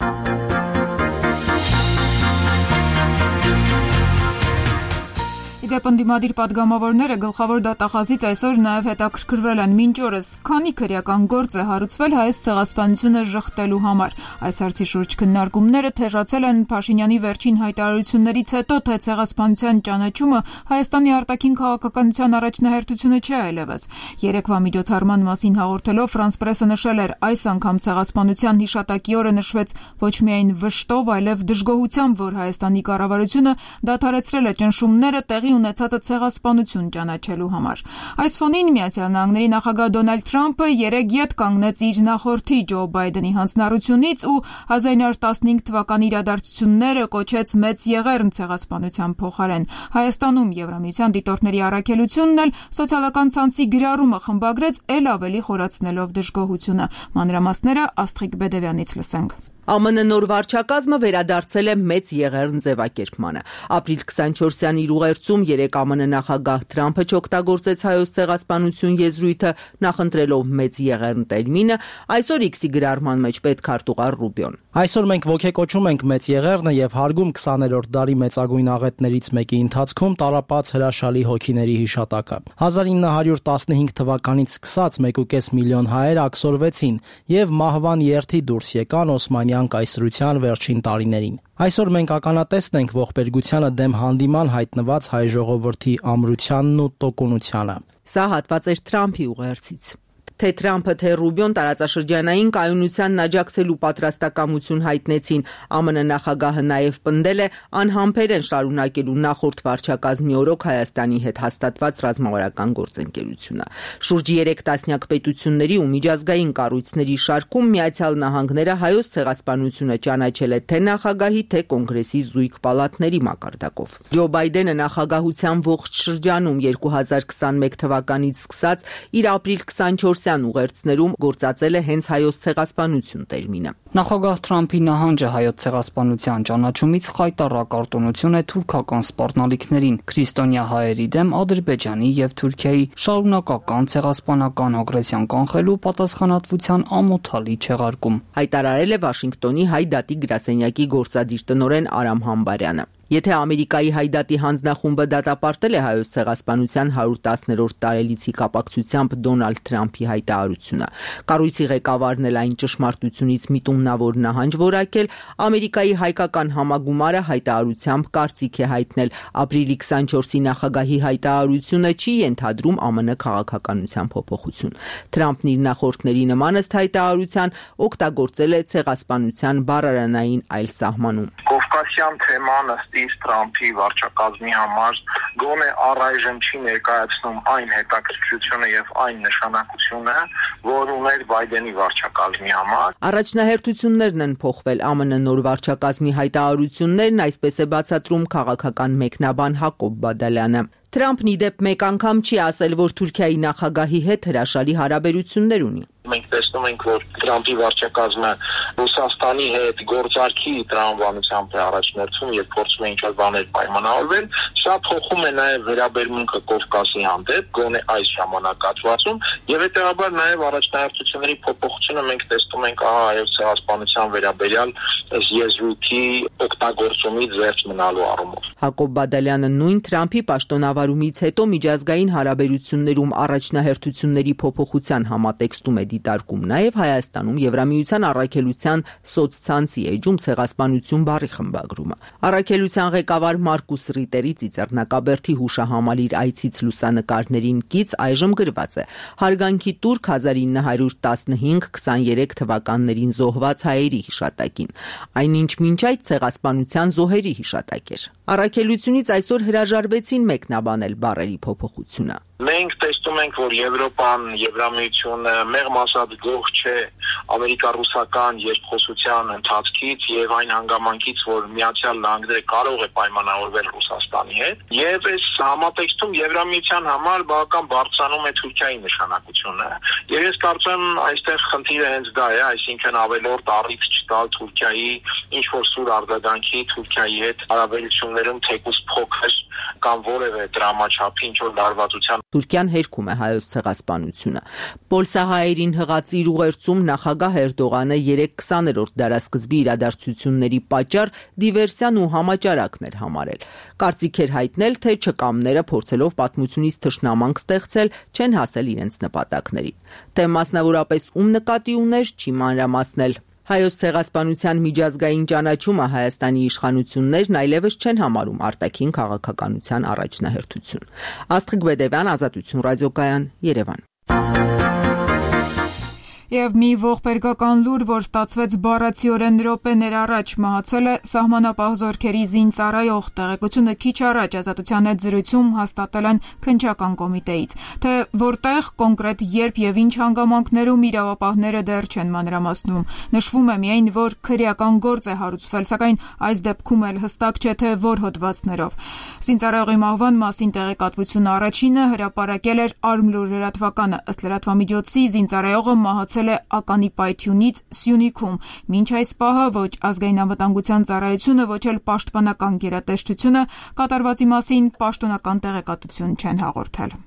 Իդեպ ընդդիմադիր պատգամավորները գլխավոր դատախազից այսօր նաև հետաքրքրվել են մինչ օրս քանի քրեական գործ է հարուցվել Հայոց ցեղասպանությունը ժխտելու համար։ Այս հարցի շուրջ քննարկումները թեժացել են Փաշինյանի վերջին հայտարարություններից հետո, թե ցեղասպանության ճանաչումը Հայաստանի արտաքին քաղաքականության առաջնահերթությունը չէ այլևս։ Երեկվա միջոցառման մասին հաղորդելով Ֆրանս Պրեսը նշել էր, այս անգամ ցեղասպանության հիշատակի օրը նշվեց ոչ միայն վշտով, այլև դժգոհությամբ, որ Հայաստանի կառավարությունը դադարեցրել է ճնշումները տեղի ունեցածը ցեղասպանություն ճանաչելու համար։ Այս ֆոնին Միացյալ Նահանգների նախագահ Դոնալդ Թրամփը երեկ ետ կանգնեց իր նախորդի Ջո Բայդենի հանձնառությունից ու 1915 թվականի իրադարձությունները կոչեց մեծ եղեռն ցեղասպանության փոխարեն։ Հայաստանում Եվրամիության դիտորդների առաքելությունն էլ սոցիալական ցանցի գրառումը խմբագրեց էլ ավելի խորացնելով դժգոհությունը։ Մանրամասները Աստղիկ Բեդևյանից լսենք։ ԱՄՆ նոր վարչակազմը վերադարձել է մեծ եղեռն ձևակերպմանը։ Ապրիլ 24-յան իր ուղերձում երեկ ԱՄՆ նախագահ Թրամփը չօգտագործեց հայոց ցեղասպանություն եզրույթը, նախընտրելով մեծ եղեռն տերմինը, այսօր X-ի գրառման մեջ պետքարտուղար Ռուբիոն։ Այսօր մենք ոգեկոչում ենք մեծ եղեռնը եւ հարգում 20-րդ դարի մեծագույն աղետներից մեկի ընթացքում տարապած հրաշալի հոգիների հիշատակը։ 1915 թվականից սկսած 1.5 միլիոն հայեր աքսորվեցին եւ մահվան երթի դուրս եկան Օսմանյան կայսրության վերջին տարիներին։ Այսօր մենք ականատեսն ենք ողբերգությանը դեմ հանդիման հայտնված հայ ժողովրդի ամրությանն ու տոկունությանը։ Սա հատված էր Թրամփի ուղերձից։ Թե Թրամփը, թե Ռուբիոն տարածաշրջանային կայունությանն աջակցելու պատրաստակամություն հայտնեցին, ԱՄՆ նախագահը նաև պնդել է անհամբերեն շարունակելու նախորդ վարչակազմի օրոք Հայաստանի հետ հաստատված ռազմավարական գործընկերությունը։ Շուրջ 3 տասնյակ պետությունների ու միջազգային կառույցների շարքում Միացյալ Նահանգները հայոց ցեղասպանությունը ճանաչել է թե նախագահի, թե կոնգրեսի զույգ պալատների մակարդակով։ Ջո Բայդենը նախագահության ողջ շրջանում 2021 թվականից սկսած իր ապրիլ 24 ուղերձներում գործածել է հենց հայոց ցեղասպանություն տերմինը։ Նախագահ Թրամփի նահանջը հայոց ցեղասպանության ճանաչումից խայտառակ արտոնություն է թուրքական սպառնալիքներին, քրիստոնյա հայերի դեմ Ադրբեջանի եւ Թուրքիայի շարունակական ցեղասպանական ագրեսիան կանխելու պատասխանատվության ամոթալի չեղարկում։ Հայտարարել է Վաշինգտոնի հայ դատի գրասենյակի գործադիր տնօրեն Արամ Համբարյանը։ Եթե Ամերիկայի հայդատի հանձնախումբը դատապարտել է հայոց ցեղասպանության 110-րդ տարելիցի կապակցությամբ Դոնալդ Թրամփի հայտարարությունը, կառույցի ղեկավարն էլ այն ճշմարտությունից միտումնավոր նահանջ որակել, Ամերիկայի հայկական համագումարը հայտարարությամբ կարծիք է հայտնել ապրիլի 24-ի նախագահի հայտարարությունը չի ենթադրում ԱՄՆ քաղաքականության փոփոխություն։ Թրամփն իր նախորդների նման ըստ հայտարարության օգտագործել է ցեղասպանության բառարանային այլ սահմանում։ Կովկասյան թեման Թրամփի վարչակազմի համար գոնե առայժմ չի ներկայացնում այն հետաքրքրությունը եւ այն նշանակությունը, որ ուներ Բայդենի վարչակազմի համար։ Առաջնահերթություններն են փոխվել ԱՄՆ նոր վարչակազմի հայտարարություններն, այսպես է բացատրում քաղաքական մեկնաբան Հակոբ Բադալյանը։ Թրամփն իդեպ մեկ անգամ չի ասել, որ Թուրքիայի նախագահի հետ հրաշալի հարաբերություններ ունի։ Մենք տեսնում ենք, որ Թրամփի վարչակազմը Ռուսաստանի հետ գործարքի տրամաբանությամբ է առաջնորդվում եւ փորձում է ինչ-որ բաներ պայմանավորվել, սա փոխում է նաեւ վերաբերմունքը Կովկասի հանդեպ, գոնե այս ժամանակահատվածում, եւ հետեւաբար նաեւ առաջնահերթությունների փոփոխությունը մենք տեսնում ենք հայոց ցեղասպանության վերաբերյալ այս եզրույթի օգտագործումից զերծ մնալու առումով։ Հակոբ Բադալյանը նույն Թրամփի պաշտոնավարումից հետո միջազգային հարաբերություններում առաջնահերթությունների փոփոխության համատեքստում է դիտարկում նաև Հայաստանում Եվրամիության առաքելության սոցցանցի էջում ցեղասպանություն բառի խմբագրումը։ Առաքելության ղեկավար Մարկուս Ռիտերի Ծիծեռնակաբերդի հուշահամալիր այցից լուսանկարներին կից այժմ գրված է. հարգանքի տուրք 1915-23 թվականներին զոհված հայերի հիշատակին, այնինչ մինչ այդ ցեղասպանության զոհերի հիշատակ էր։ Առաքելությունից այսօր հրաժարվեցին մեկնաբանել բառերի փոփոխությունը։ Մենք տեսնում ենք, որ Եվրոպան, Եվրամիությունը մեղմ ասած գող չէ ամերիկա-ռուսական երկխոսության ընթացքից եւ այն հանգամանքից, որ Միացյալ Նահանգները կարող է պայմանավորվել Ռուսաստանի հետ, եւ այս համատեքստում Եվրամիության համար բավական բարձրանում է Թուրքիայի նշանակությունը։ Եվ ես կարծում եմ, այստեղ խնդիրը հենց դա է, այսինքն ավելորդ առիթ չտալ Թուրքիայի ինչ որ սուր արձագանքի Թուրքիայի հետ հարաբերություններում թեկուզ փոքր կամ որևէ դրամաչափի ինչ-որ լարվածության։ Թուրքիան հերքում է հայոց ցեղասպանությունը։ Պոլսահայերին հղած իր ուղերձում նախագահ Էրդողանը 3-20-րդ դարաշրջանի իրադարձությունների պատճառ դիվերսիան ու համաճարակն էր համարել։ Կարծիք էր հայտնել, թե չկամները փորձելով պատմությունից թշնամանք ստեղծել չեն հասել իրենց նպատակներին։ Թե մասնավորապես ում նկատի ուներ, չի մանրամասնել։ Հայոց ցեղասպանության միջազգային ճանաչումը Հայաստանի իշխանություններն այլևս չեն համարում արտաքին քաղաքականության առաջնահերթություն։ Աստղիկ Բեդևյան, Ազատություն ռադիոկայան, Երևան։ Եվ մի ողբերգական լուր, որ ստացվեց բառացիորեն րոպեներ առաջ, մահացել է սահմանապահ զորքերի զինծառայող, տեղեկությունը քիչ առաջ Ազատության հետ զրույցում հաստատել են քննչական կոմիտեից, թե որտեղ, կոնկրետ երբ եւ ինչ հանգամանքներում իրավապահները դեռ չեն մանրամասնում։ Նշվում է միայն, որ քրեական գործ է հարուցվել, սակայն այս դեպքում էլ հստակ չէ, թե որ հոդվածներով։ Զինծառայողի մահվան մասին տեղեկատվությունը առաջինը հրապարակել էր Արմլուր լրատվականը, ըստ լրատվամիջոցի զինծառայողը մահացել է ականի պայթյունից Սյունիքում։ Մինչ այս պահը ոչ ազգային անվտանգության ծառայությունը, ոչ էլ պաշտպանական գերատեսչությունը կատարվածի մասին պաշտոնական տեղեկատվություն չեն հաղորդել։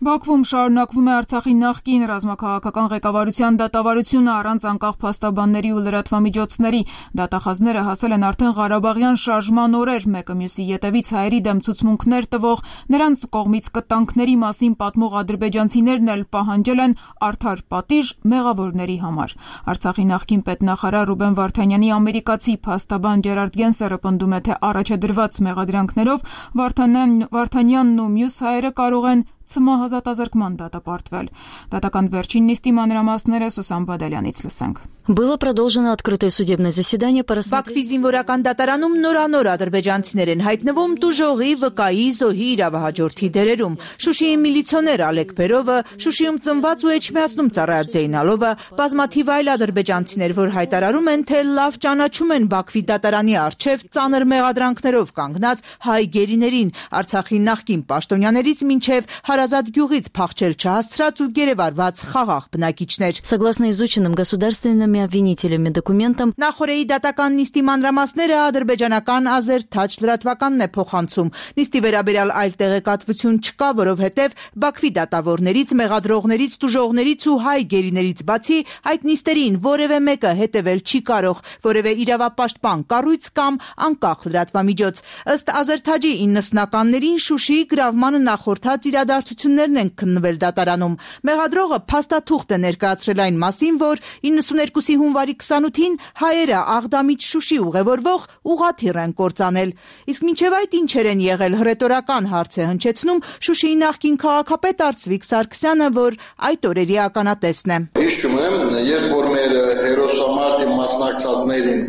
Բաքվում շարունակվում է Արցախի նախկին ռազմաքաղաքական ղեկավարության դատավարությունը առանց անկախ փաստաբանների ու լրատվամիջոցների։ Դատախազները հասել են արդեն Ղարաբաղյան շարժման օրեր, մեկը մյուսի ետևից հայերի դեմ ցուցմունքներ տվող, նրանց կողմից կտանքների մասին պատմող ադրբեջանցիներն էլ պահանջել են արդար պատիժ մեղավորների համար։ Արցախի նախկին պետնախարար Ռուբեն Վարդանյանի ամերիկացի փաստաբան Ջերարդ Գենսերը պնդում է, թե առաջադրված մեղադրանքներով Վարդանյանն ու մյուս հայերը կարող են ցմահազատազրկման դատապարտվել։ Դատական վերջին նիստի մանրամասները Սուսան Բադալյանից լսենք։ Было продолжено открытое судебное заседание по Բաքվի զինվորական դատարանում նորանոր ադրբեջանցիներ են հայտնվում տուժողի, վկայի, զոհի իրավահաջորդի դերերում։ Շուշիի միլիցիոներ Ալեկ Բերովը, Շուշիում ծնված ու Էջմիածնում ծառայած Զեյնալովը, բազմաթիվ այլ ադրբեջանցիներ, որ հայտարարում են, թե լավ ճանաչում են Բաքվի դատարանի առջև ծանր մեղադրանքներով կանգնած հայ գերիներին, Արցախի նախկին պաշտոնյաներից մինչև Հարազատ գյուղից փախչել չհասցրած ու գերեվարված խաղաղ բնակիչներ։ Согласно изученным государственными обвинителями документам, Նախորդի դատական նիստի մանրամասները ադրբեջանական Ազերթաչ լրատվականն է փոխանցում։ Նիստի վերաբերյալ այլ տեղեկատվություն չկա, որովհետև Բաքվի դատավորներից, մեղադրողներից, տուժողներից ու հայ գերիներից բացի այդ նիստերին որևէ մեկը հետևել չի կարող, որևէ իրավապաշտպան կառույց կամ անկախ լրատվամիջոց։ Ըստ Ազերթաջի 90-ականներին Շուշիի գրավմանը նախորդած իրադարձություններն են քննվել դատարանում։ Մեղադրողը փաստաթուղթ է ներկայացրել այն մասին, որ 92-ի հունվարի 28-ին հայերը Աղդամից Շուշի ուղևորվող ուղղաթիռ են կործանել։ Իսկ մինչև այդ ինչեր են եղել հռետորական հարց է հնչեցնում Շուշիի նախկին քաղաքապետ Արծվիկ Սարգսյանը, որ այդ օրերի ականատեսն է։ Հիշում եմ, երբ որ մեր հերոսամարտի մասնակցածներին,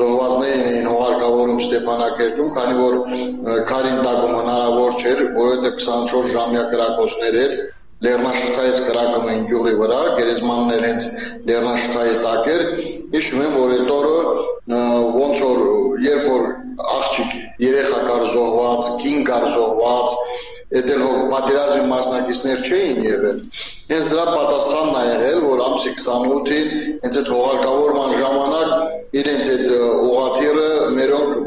զոհվածներին էին հուղարկավորում Ստեփանակերտում, քանի որ քարին տակում հնարավոր չէր, որովհետև 24 ժամյա կրակոցներ էր, Լեռնաշղթայից կրակում էին գյուղի վրա, գերեզմաններ հենց Լեռնաշղթայի տակ էր։ Հիշում եմ, որ այդ օրը ոնց որ երբ որ աղջիկ երեխա կար զոհված, կին կար զոհված, Այդ էլ պատերազմի մասնակիցներ չէին եղել։ Հենց դրա պատասխանն է եղել, որ ամսի 28-ին հենց այդ հողարկավորման ժամանակ իրենց այդ ուղղաթիռը մերոնք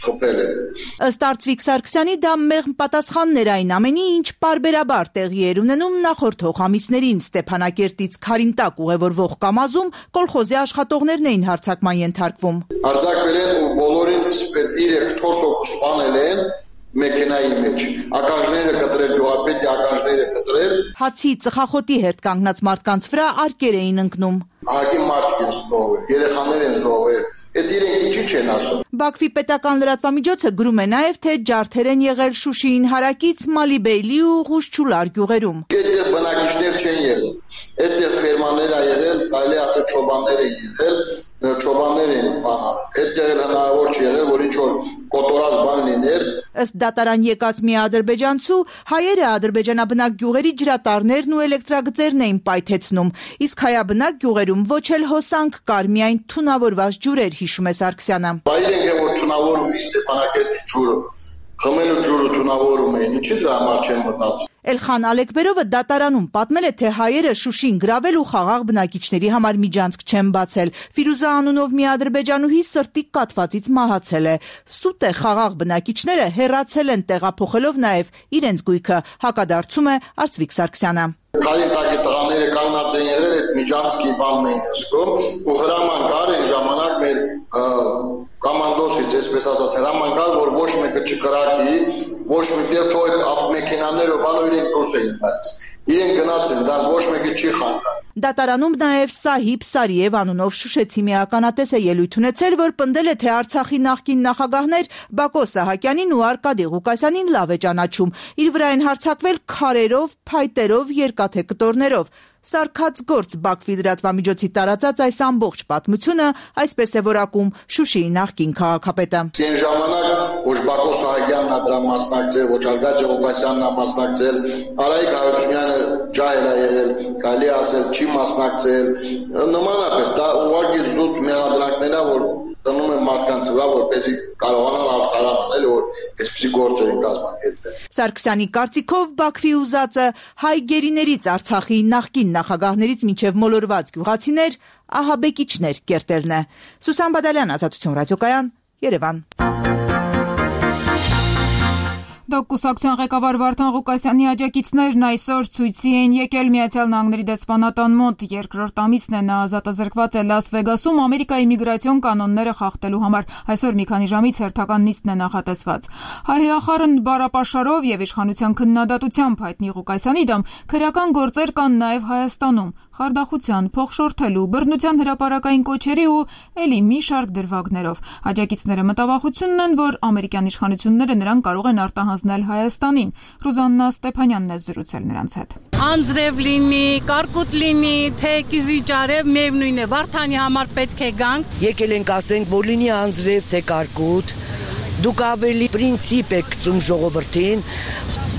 խփել են։ Ըստ Արծվիկ Սարգսյանի դա մեղմ պատասխանն էր այն ամենի, ինչ պարբերաբար տեղի էր ունենում նախորդ հողամիսներին Ստեփանակերտից Քարինտակ ուղևորվող կամազում կոլխոզի աշխատողներն էին հարձակման ենթարկվում։ Հարձակվել են ու բոլորին 3-4 հոգու սպանել են մեքենայի մեջ, ականջները կտրել, գյուղապետի ականջները կտրել։ Հացի ծխախոտի հերթ կանգնած մարդկանց վրա արկեր էին ընկնում։ Ահագին մարդիկ են զոհվել, երեխաներ են զոհվել, այդ իրենք ինչի չեն ասում։ Բաքվի պետական լրատվամիջոցը գրում է նաև, թե ջարդեր են եղել Շուշիին հարակից Մալիբեյլի ու Ղուշչուլար գյուղերում։ Այդտեղ բնակիչներ չեն եղել, այդտեղ ֆերմաներ ա եղել, կարելի ասել չոբաններ են եղել, չոբաններ են բանալ։ Այդտեղ էլ հնարավոր չի եղել, որ ինչ որ կոտորած բան լիներ։ Ըստ դատարան եկած մի ադրբեջանցու, հայերը ադրբեջանաբնակ գյուղերի ջրատարներն ու էլեկտրագծերն էին պայթեցնում, իսկ հայաբնակ գյուղերում ոչ էլ հոսանք կար, միայն թունավորված ջուրեր, հիշում է Սարգսյանը։ Բայրենք է որ թունավորում Ստեփանակերտի ջուրը, խմելու ջուրը թունավորում էին, ինչի դրա համար չեն մտածում։ Էլխան Ալեկբերովը դատարանում պատմել է, թե հայերը Շուշին գրավել ու խաղաղ բնակիչների համար միջանցք չեն բացել։ Ֆիրուզա անունով մի ադրբեջանուհի սրտի կաթվածից մահացել է։ Սուտ է, խաղաղ բնակիչները հեռացել են, տեղափոխելով նաև իրենց գույքը, հակադարձում է Արծվիկ Սարգսյանը։ Քարինտակի տղաները կանգնած են եղել այդ միջանցքի բանն էին ասում ու հրաման կար այն ժամանակ մեր կոմանդոսից, այսպես ասած, հրաման կար, որ ոչ մեկը չկրակի, ոչ մեկը թող այդ ավտոմեքենաները բանով իրենք դուրս էին գալիս։ Իրենք գնացին, դա ոչ մեկը չի խանգարել։ Դատարանում նաև Սահիբ Սարիև անունով շուշեցի մի ականատես է ելույթ ունեցել, որ պնդել է, թե Արցախի նախկին նախագահներ Բակո Սահակյանին ու Արկադի Ղուկասյանին լավ է ճանաչում։ Իր վրա են հարձակվել քարերով, փայտերով, երկաթե կտորներով։ Սարքած գործ Բաքվի լրատվամիջոցի տարածած այս ամբողջ պատմությունը այսպես է որակում Շուշիի նախկին քաղաքապետը։ Այն ժամանակ ոչ Բակո Սահակյանն է դրա մասնակցել, ոչ Արկադի Ղուկասյանն է մասնակցել, Արայիկ Հարությունյանը ջահել է եղել, կարելի է ասել չի մասնակցել։ Նմանապես դա ուղղակի զուտ մեղադրանքներ է, որ դնում են մարդկանց վրա, որպեսզի կարողանան արդարանալ, որ այսպիսի գործեր են կազմակերպել։ Սարգսյանի կարծիքով Բաքվի ուզածը հայ գերիներից Արցախի նախկին նախագահներից մինչև մոլորված գյուղացիներ, ահաբեկիչներ կերտելն է։ Սուսան Բադալյան, Ազատություն ռադիոկայան, Երևան։ Կուսակցության ղեկավար Վարդան Ղուկասյանի աջակիցներն այսօր ցույցի են եկել Միացյալ Նահանգների դեսպանատան մոտ։ Երկրորդ ամիսն է նա ազատազրկված է Լաս Վեգասում Ամերիկայի միգրացիոն կանոնները խախտելու համար։ Այսօր մի քանի ժամից հերթական նիստն է նախատեսված։ Հայհախառն բառապաշարով եւ իշխանության քննադատությամբ հայտնի Ղուկասյանի դեմ քրեական գործեր կան նաեւ Հայաստանում։ Խարդախության, փոխշորթելու, բռնության հրապարակային կոչերի ու ելի մի շարք դրվագներով։ Աջակիցները մտավախությունն են, որ ամերիկյան իշխանությունները նրան կարող են արտահանձնել Հայաստանին։ Ռուզաննա Ստեփանյանն է զրուցել նրանց հետ։ Անձրև լինի, կարկուտ լինի, թե կիզիճարև, միևնույն է, Վարդանի համար պետք է գանք։ Եկել ենք ասենք, որ լինի անձրև, թե կարկուտ, դուք ավելի պրինցիպ եք գծում ժողովրդին,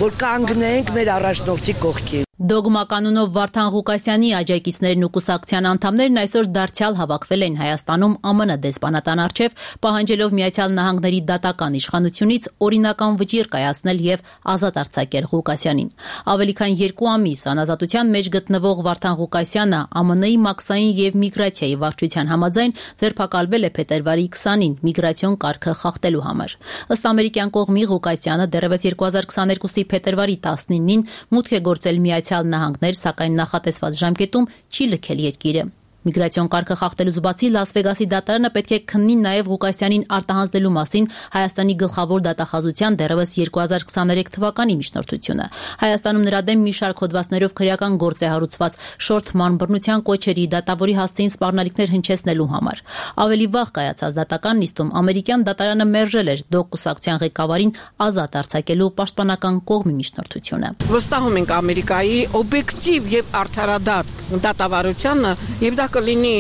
որ կանգնենք մեր առաջնորդի կողքին։ Դոգմա կանոնով Վարդան Ղուկասյանի աջակիցներն ու կուսակցության անդամներն այսօր դարձյալ հավաքվել են Հայաստանում ԱՄՆ դեսպանատան առջև, պահանջելով Միացյալ Նահանգների դատական իշխանությունից օրինական վճիռ կայացնել եւ ազատ արձակել Ղուկասյանին։ Ավելի քան 2 ամիս անազատության մեջ գտնվող Վարդան Ղուկասյանը ԱՄՆ-ի մաքսային եւ միգրացիայի վարչության համաձայն ձերբակալվել է փետրվարի 20-ին միգրացիոն կարգը խախտելու համար։ Ըստ ամերիկյան կողմի Ղուկասյանը դեռևս 2022-ի փետրվարի 19-ին մուտք է գործել Միացյալ Նահանգներ, սակայն նախատեսված ժամկետում չի լքել երկիրը։ Միգրացիոն կարգը խախտելուց բացի Լաս Վեգասի դատարանը պետք է քննի նաև Ղուկասյանին արտահանձնելու մասին Հայաստանի գլխավոր դատախազության դեռևս 2023 թվականի միջնորդությունը։ Հայաստանում նրա դեմ մի շարք հոդվածներով քրեական գործ է հարուցված շորթման, բռնության կոչերի, դատավորի հասցեին սպառնալիքներ հնչեցնելու համար։ Ավելի վաղ կայացած դատական նիստում ամերիկյան դատարանը մերժել էր Դոգ կուսակցության ղեկավարին ազատ արձակելու պաշտպանական կողմի միջնորդությունը։ Վստահում ենք Ամերիկայի օբյեկտիվ եւ արդարադատ դատավարությանը եւ դա կլինի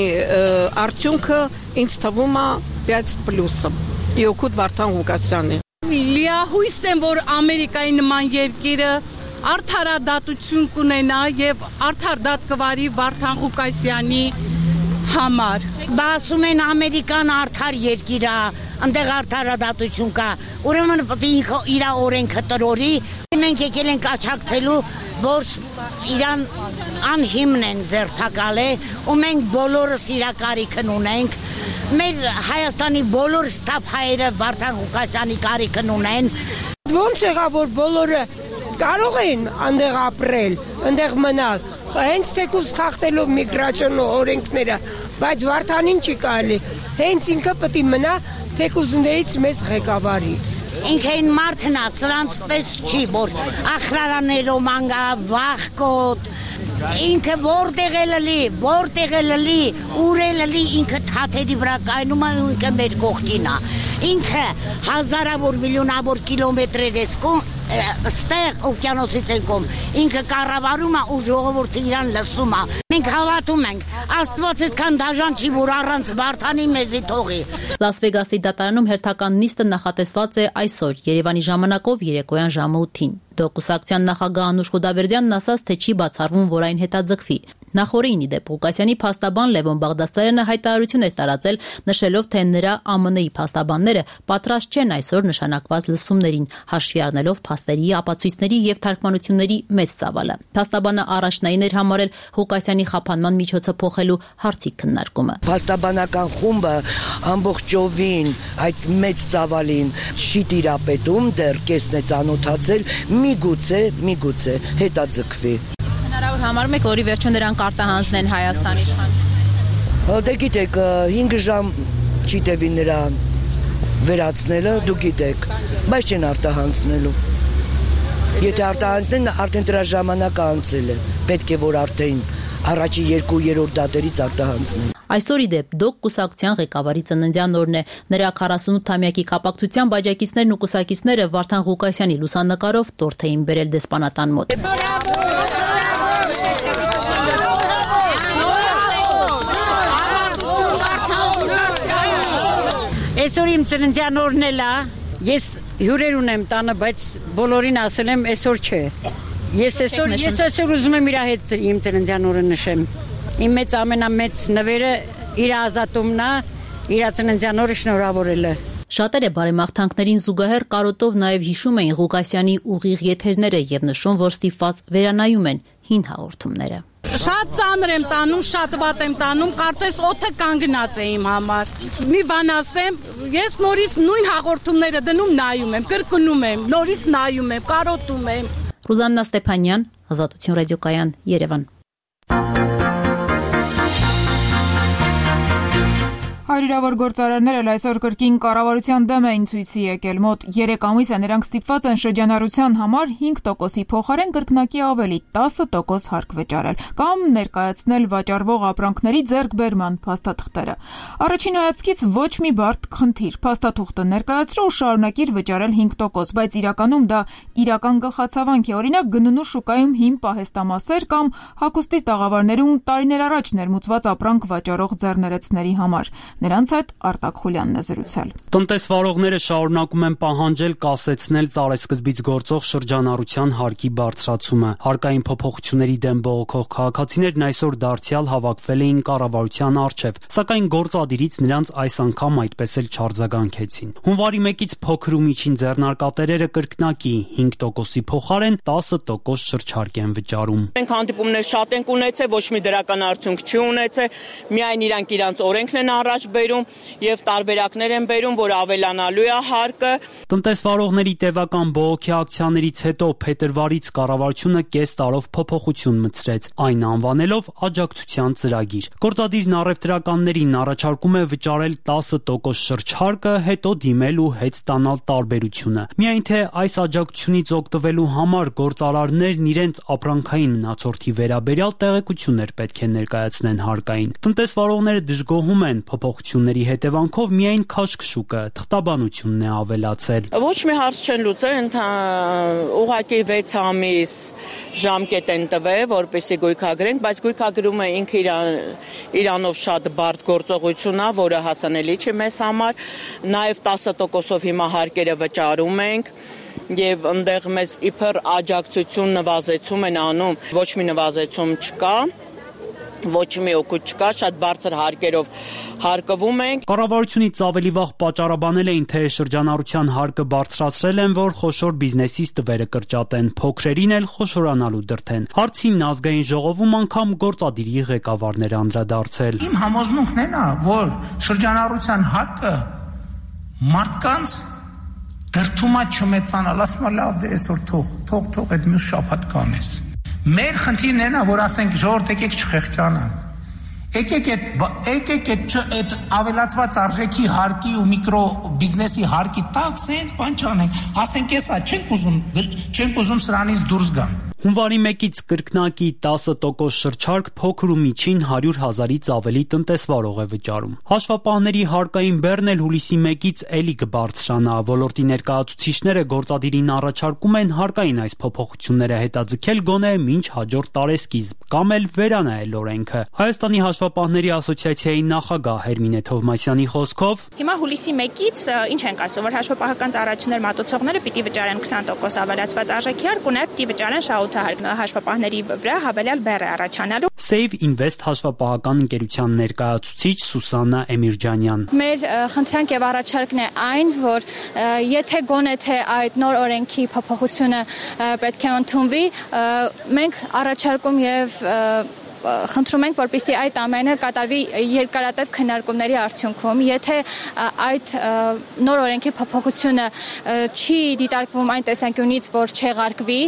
արդյունքը ինձ թվում է 5+-ը։ Իօքուտ Վարդան Ղուկասյանի։ Լիահույս եմ, որ Ամերիկայի նման երկիրը արդարադատություն կունենա եւ արդար դատ կվարի Վարդան Ղուկասյանի համար։ Դա ասում են Ամերիկան արդար երկիր է, այնտեղ արդարադատություն կա։ Ուրեմն ինքը իր օրենքը տրորի, մենք եկել ենք աչակցելու, որ իրան անհիմն են ձերբակալել ու մենք բոլորս իր կարիքն ունենք։ Մեր Հայաստանի բոլոր ստապ հայերը Վարդան Ղուկասյանի կարիքն ունեն։ Ոնց եղա, որ բոլորը կարող են այնտեղ ապրել, այնտեղ մնալ, հենց թեկուզ խախտելով միգրացիոն օրենքները, բայց Վարդանին չի կարելի, հենց ինքը պետք է մնա թեկուզ ընդերից մեզ ղեկավարի։ Ինքը այն մարդն է, սրանց պես չի, որ ախրարաներով մանգա, վախկոտ, ինքը որտեղ է լլի, ուր է լլի, ինքը թաթերի վրա կայնում է, ինքը մեր կողքին է։ Ինքը հազարավոր միլիոնավոր կիլոմետրեր էսկում, ստեղ օվկիանոսից ենքում, ինքը կառավարում է ու ժողովուրդը իրան լսում է։ Մենք հավատում ենք, Աստված այդքան դաժան չի, որ առանց Վարդանի մեզի թողի։ Լաս Վեգասի դատարանում հերթական նիստը նախատեսված է այսօր, Երևանի ժամանակով երեկոյան ժամը 8-ին։ Դոգ կուսակցության նախագահ Անուշ Խուդաբերդյանն ասաց, թե չի բացառվում, որ այն հետաձգվի։ Նախորդին իդեպ Ղուկասյանի փաստաբան Լևոն Բաղդասարյանը հայտարարություն էր տարածել, նշելով, թե նրա ԱՄՆ-ի փաստաբանները պատրաստ չեն այսօր նշանակված լսումներին, հաշվի առնելով փաստերի, ապացույցների եւ թարգմանությունների մեծ ծավալը։ Փաստաբանը առաջնային էր համարել Ղուկասյանի խափանման միջոցը փոխելու հարցի քննարկումը։ Փաստաբանական խումբը ամբողջովին այդ մեծ ծավալին չի տիրապետում, դեռ կեսն է ծանոթացել, միգուցե հետաձգվի։ Հնարավոր համարում եք, որի վերջում նրանք արտահանձնեն Հայաստանի իշխանություն։ Դե գիտեք, 5 ժամ չի տևի նրան վերացնելը, դու գիտեք, բայց չեն արտահանձնելու։ Եթե արտահանձնեն, արդեն դրա ժամանակը անցել է։ Պետք է որ արդեն առաջի 2-3 դատերից արտահանձնեն։ Այսօր իդեպ Դոկ կուսակցության ղեկավարի ծննդյան օրն է։ Նրա 48-ամյակի կապակցությամբ աջակիցներն ու կուսակիցները Վարդան Ղուկասյանի լուսանկարով տորթ էին բերել դեսպանատան մոտ։ Այսօր իմ ծննդյան օրն էլ է, ես հյուրեր ունեմ տանը, բայց բոլորին ասել եմ այսօր չէ։ Ես այսօր ուզում եմ իր հետ իմ ծննդյան օրը նշեմ։ Իմ մեծ ամենամեծ նվերը իր ազատումն է, իր ծննդյան օրը շնորհավորելը։ Շատերը բարեմաղթանքներին զուգահեռ կարոտով նաև հիշում էին Ղուկասյանի ուղիղ եթերները եւ նշում, որ ստիպված վերանայում են հին հաղորդումները։ Շատ ծանր եմ տանում, շատ վատ եմ տանում, կարծես օդը կանգնած է իմ համար։ Մի բան ասեմ, ես նորից նույն հաղորդումները դնում նայում եմ, կրկնում եմ, նորից նայում եմ, կարոտում եմ։ Ռուզաննա Ստեփանյան, Ազատություն ռադիոկայան, Երևան։ Հարյուրավոր գործարարներ էլ այսօր կրկին կառավարության դեմ էին ցույցի եկել։ Մոտ 3 ամիս է նրանք ստիպված են շրջանառության համար 5%-ի փոխարեն կրկնակի ավելի 10% հարկ վճարել կամ ներկայացնել վաճառվող ապրանքների ձեռքբերման փաստաթղթերը։ Առաջին հայացքից ոչ մի բարդ խնդիր։ Փաստաթուղթը ներկայացրու ու շարունակիր վճարել 5%, բայց իրականում դա իրական գլխացավանք է։ Օրինակ գնունու շուկայում հիմ պահեստամասեր կամ հագուստի տաղավարներում տարիներ առաջ ներմուծված ապրանք վաճառող ձեռներեցների համար։ Նրանց հետ Արտակ Խուլյանն է զրուցել։ Տնտեսվարողները շարունակում են պահանջել կասեցնել տարեսկզբից գործող շրջանառության հարկի բարձրացումը։ Հարկային փոփոխությունների դեմ բողոքող քաղաքացիներն այսօր դարձյալ հավաքվել էին կառավարության առջև, սակայն գործադիրից նրանց այս անգամ այդպես էլ չարձագանքեցին։ Հունվարի 1-ից փոքր ու միջին ձեռնարկատերերը կրկնակի 5%-ի փոխարեն 10% շրջարկ են վճարում։ Մենք հանդիպումներ շատ ենք ունեցել, ոչ մի դրական արդյունք չի ունեցել, միայն իրանք իրանց օրենքն են առաջ բերում եւ տարբերակներ են բերում, որ ավելանալու է հարկը։ Տնտեսվարողների տևական բողոքի ակցիաներից հետո փետրվարից կառավարությունը կես տարով փոփոխություն մտցրեց, այն անվանելով աջակցության ծրագիր։ Գործադիրն առևտրականներին առաջարկում է վճարել 10% շրջհարկը, հետո դիմել ու հետ ստանալ տարբերությունը։ Միայն թե այս աջակցությունից օգտվելու համար գործարարներն իրենց ապրանքային մնացորդի վերաբերյալ տեղեկություններ պետք է ներկայացնեն հարկային։ Տնտեսվարողները դժգոհում են փոփոխությունների հետևանքով միայն քաշքշուկը, թղթաբանությունն է ավելացել։ Ոչ մի հարց չեն լուծել, ուղղակի 6 ամիս ժամկետ են տվել, որպեսզի գույքագրենք, բայց գույքագրումը ինքը իրանով շատ բարդ գործողություն է, որը հասանելի չի մեզ համար, նաև 10%-ով հիմա հարկերը վճարում ենք եւ այնտեղ մեզ իբր աջակցություն նվազեցում են անում, ոչ մի նվազեցում չկա։ Ոչ մի օգուտ չկա, շատ բարձր հարկերով հարկվում ենք։ Կառավարությունից ավելի վաղ պատճառաբանել էին, թե շրջանառության հարկը բարձրացրել են, որ խոշոր բիզնեսից տվերը կրճատեն, փոքրերին էլ խոշորանալու դրթեն։ Հարցին ազգային ժողովում անգամ գործադիրի ղեկավարներ անդրադարձել։ Իմ համոզմունքն է, որ շրջանառության հարկը մարդկանց դրթումա չմեծանալ, ասում եմ լավ, դե այսօր թող այդ մյուս շաբաթ կանես։ Մեր խնդիրն է, որ ասենք ժողովուրդ եկեք չխեղճանանք։ Եկեք այդ ավելացված արժեքի հարկի ու միկրո բիզնեսի հարկի տակ սենց բան չանենք։ Ասենք էսա չենք ուզում սրանից դուրս գան։ Հունվարի 1-ից կրկնակի 10% շրջարկ փոքր ու միջին 100,000-ից ավելի տնտեսվարող է վճարում։ Հաշվապահների հարկային բեռն էլ հուլիսի 1-ից էլի կբարձրանա։ Ոլորտի ներկայացուցիչները գործադիրին առաջարկում են հարկային այս փոփոխությունները հետաձգել գոնե մինչ հաջորդ տարեսկիզբ կամ էլ վերանայել օրենքը։ Հայաստանի հաշվապահների ասոցիացիայի նախագահ Հերմինե Թովմասյանի խոսքով հիմա հուլիսի 1-ից ինչ ենք ասում, որ հաշվապահական ծառայություններ մատուցողները պիտի վճարեն 20% ավելացված արժեքի հարկ ու նաև պիտի վճարեն շահութ նյութահարկ հաշվապահների վրա հավելյալ բեռ է առաջանալու։ Save Invest հաշվապահական ընկերության ներկայացուցիչ Սուսաննա Էմիրջանյան։ Մեր խնդրանք եւ առաջարկն է այն, որ եթե գոնե թե այդ նոր օրենքի փոփոխությունը պետք է ընդունվի, մենք առաջարկում եւ խնդրում ենք, որպեսզի այդ ամենը կատարվի երկարատև քննարկումների արդյունքում, եթե այդ նոր օրենքի փոփոխությունը չի դիտարկվում այն տեսանկյունից, որ չեղարկվի,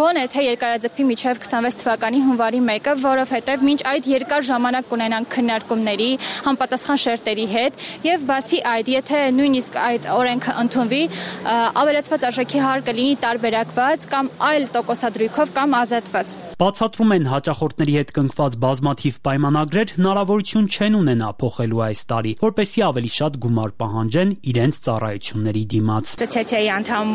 գոնե թե երկարաձգվի մինչև 26 թվականի հունվարի 1-ը, որովհետև մինչ այդ երկար ժամանակ կունենանք քննարկումների, համապատասխան շերտերի հետ, եւ բացի այդ, եթե նույնիսկ այդ օրենքը ընդունվի, ավելացված արժեքի հար կլինի տարբերակված կամ այլ տոկոսադրույքով կամ ազատված։ Բացատրում են հաճախորդների հետ կնքված բազմաթիվ պայմանագրեր հնարավորություն չեն ունենա փոխելու այս տարի, որպեսզի ավելի շատ գումար պահանջեն իրենց ծառայությունների դիմաց։ Ասոցիացիայի անդամ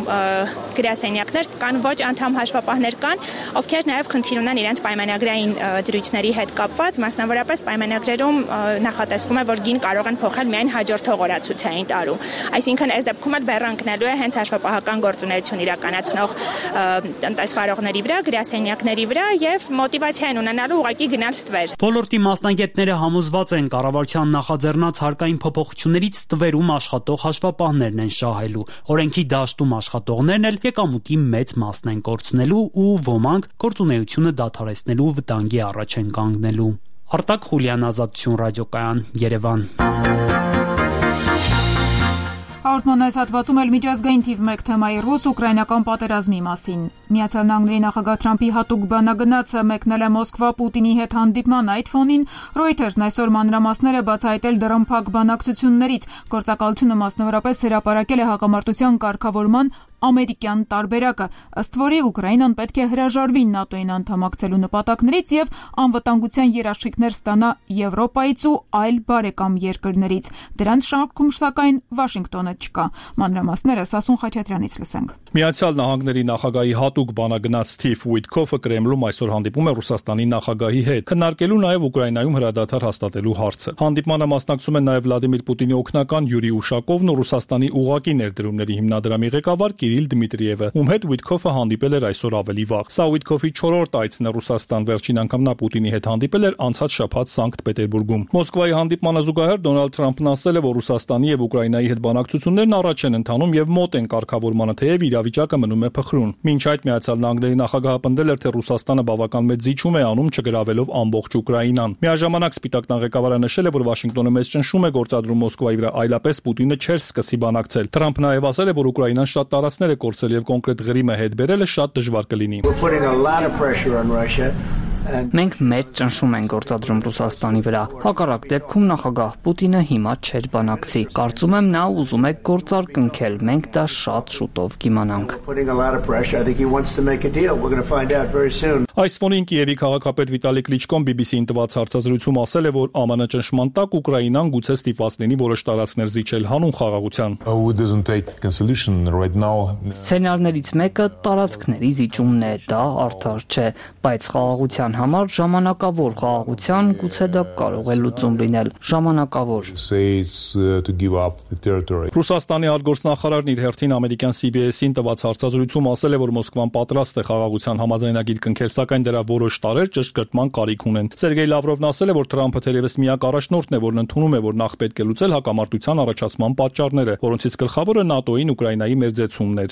գրասենյակներ կան, ոչ անդամ հաշվապահներ կան, ովքեր նաև խնդիր ունեն իրենց պայմանագրային դրույթների հետ կապված, մասնավորապես պայմանագրերում նախատեսվում է, որ գին կարող են փոխել միայն հաջորդող օրացուցային տարում։ Այսինքն այս դեպքում էլ բեռնկնելու է հենց հաշվապահական գործունեություն իրականացնող տնտեսվարողների վրա, գրասենյակների վրա եւ մոտիվացիա են ունենալու ուղղակի գնալ ստվեր։ Ոլորտի մասնագետները համոզված են կառավարության նախաձեռնած հարկային փոփոխություններից ստվերում աշխատող հաշվապահներն են շահելու։ Օրենքի դաշտում աշխատողներն էլ եկամուտի մեծ մասն են կորցնելու ու ոմանք գործունեությունը դադարեցնելու վտանգի առաջ են կանգնելու։ Արտակ Խուլյան, Ազատություն ռադիոկայան, Երևան։ Հաղորդման այս հատվածում էլ միջազգային թիվ 1 թեմայի ռուս-ուկրաինական պատերազմի մասին։ Միացյալ Նահանգների նախագահ Թրամփի հատուկ բանագնացը մեկնել է Մոսկվա Պուտինի հետ հանդիպման այդ ֆոնին Reuters-ն այսօր մանրամասներ է բացահայտել դռնփակ բանակցություններից։ Գործակալությունը մասնավորապես հրապարակել է հակամարտության կարգավորման ամերիկյան տարբերակը, ըստ որի Ուկրաինան պետք է հրաժարվի ՆԱՏՕ-ին անդամակցելու նպատակներից եւ անվտանգության երաշխիքներ ստանա Եվրոպայից ու այլ բարեկամ երկրներից։ Դրանց շարքում սակայն Վաշինգտոնը չկա։ Մանրամասները Սասուն Խաչատրյանից լսենք։ Միացյալ Նահանգների նախագահի հատուկ բանագնաց Սթիվ Ուիթքոֆը Կրեմլում այսօր հանդիպում է Ռուսաստանի նախագահի հետ, քննարկելու նաև Ուկրաինայում հրադադար հաստատելու հարցը։ Հանդիպմանը մասնակցում են նաև Վլադիմիր Պուտինի օգնական Յուրի Ուշակովն ու Ռուսաստանի ուղղակի ներդրումների հիմնադրամի ղեկավար Կիրիլ Դմիտրիևը, ում հետ Ուիթքոֆը հանդիպել էր այսօր ավելի վաղ։ Սա Ուիթքոֆի 4-րդ այցն է Ռուսաստան, վերջին անգամ նա Պուտինի հետ հանդիպել էր անցած շաբաթ Սանկտ Պետերբուրգում։ Մոսկվայի հանդիպմանը զուգահեռ Դոնալդ Թրամփն ասել է, որ Ռուսաստանի եւ Ուկրաինայի հետ բանակցություններն առաջ են ընթանում եւ մոտ են կարգավորմանը, թեև իրավիճակը մնում է փխրուն։ Մինչ այդ Միացյալ Նահանգների նախագահը պնդել էր, թե Ռուսաստանը բավական մեծ զիջում է անում չգրավելով ամբողջ Ուկրաինան։ Միաժամանակ Սպիտակ տան ղեկավարը նշել է, որ Վաշինգտոնը մեծ ճնշում է գործադրում Մոսկվայի վրա, այլապես Պուտինը չէր սկսի բանակցել։ Թրամփն նաև ասել է, որ Ուկրաինան շատ տարածքներ է կորցրել եւ կոնկրետ Ղրիմը հետ բերելը շատ դժվար կլինի։ Մենք մեծ ճնշում ենք գործադրում Ռուսաստանի վրա։ Հակառակ դեպքում նախագահ Պուտինը հիմա չէր բանակցի։ Կարծում եմ նա ուզում է գործար կնքել։ Մենք դա շատ շուտով կիմանանք։ Այս ֆոնին Կիևի քաղաքապետ Վիտալի Կլիչկոն BBC-ին տված հարցազրույցում ասել է, որ ԱՄՆ ճնշման տակ Ուկրաինան գուցե ստիպված լինի որոշ տարածքներ զիջել հանուն խաղաղության։ Սցենարներից մեկը տարածքների զիջումն է, դա արդար չէ, բայց խաղաղության համար ժամանակավոր խաղաղության գուցե դա կարող է լուծում լինել, ժամանակավոր։ Ռուսաստանի արտգործնախարարն իր հերթին ամերիկյան CBS-ին տված հարցազրույցում ասել է, որ Մոսկվան պատրաստ է խաղաղության համաձայնագիր կնքել, սակայն դրա որոշ տարեր ճշգրտման կարիք ունեն։ Սերգեյ Լավրովն ասել է, որ Թրամփը թերևս միակ առաջնորդն է, որն ընդունում է, որ նախ պետք է լուծել հակամարտության առաջացման պատճառները, որոնցից գլխավորը ՆԱՏՕ-ին Ուկրաինայի մերձեցումն էր։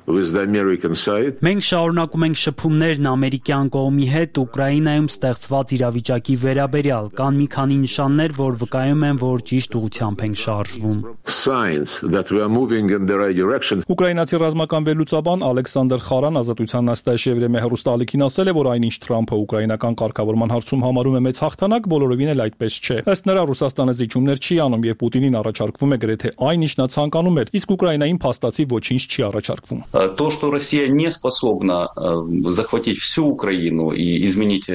Մենք շարունակում ենք շփումներն ամերիկյան կողմի հետ Ուկրաինայում ստեղծված իրավիճակի վերաբերյալ։ Կան մի քանի նշաններ, որ վկայում են, որ ճիշտ ուղղությամբ ենք շարժվում։ Ուկրաինացի ռազմական վերլուծաբան Ալեքսանդր Խարան Ազատության նստաշեվրեմե հեռուստաալիքին ասել է, որ այնինչ Թրամփը ուկրաինական կարգավորման հարցում համարում է մեծ հաղթանակ, բոլորովին էլ այդպես չէ։ Ըստ նրա Ռուսաստանը զիջումներ չի անում եւ Պուտինին առաջարկվում է գրեթե այն, ինչ նա ցանկանում էր, իսկ Ուկրաինային փաստացի ոչինչ չի առաջարկվում։ То, что Россия не способна захватить всю Украину и изменить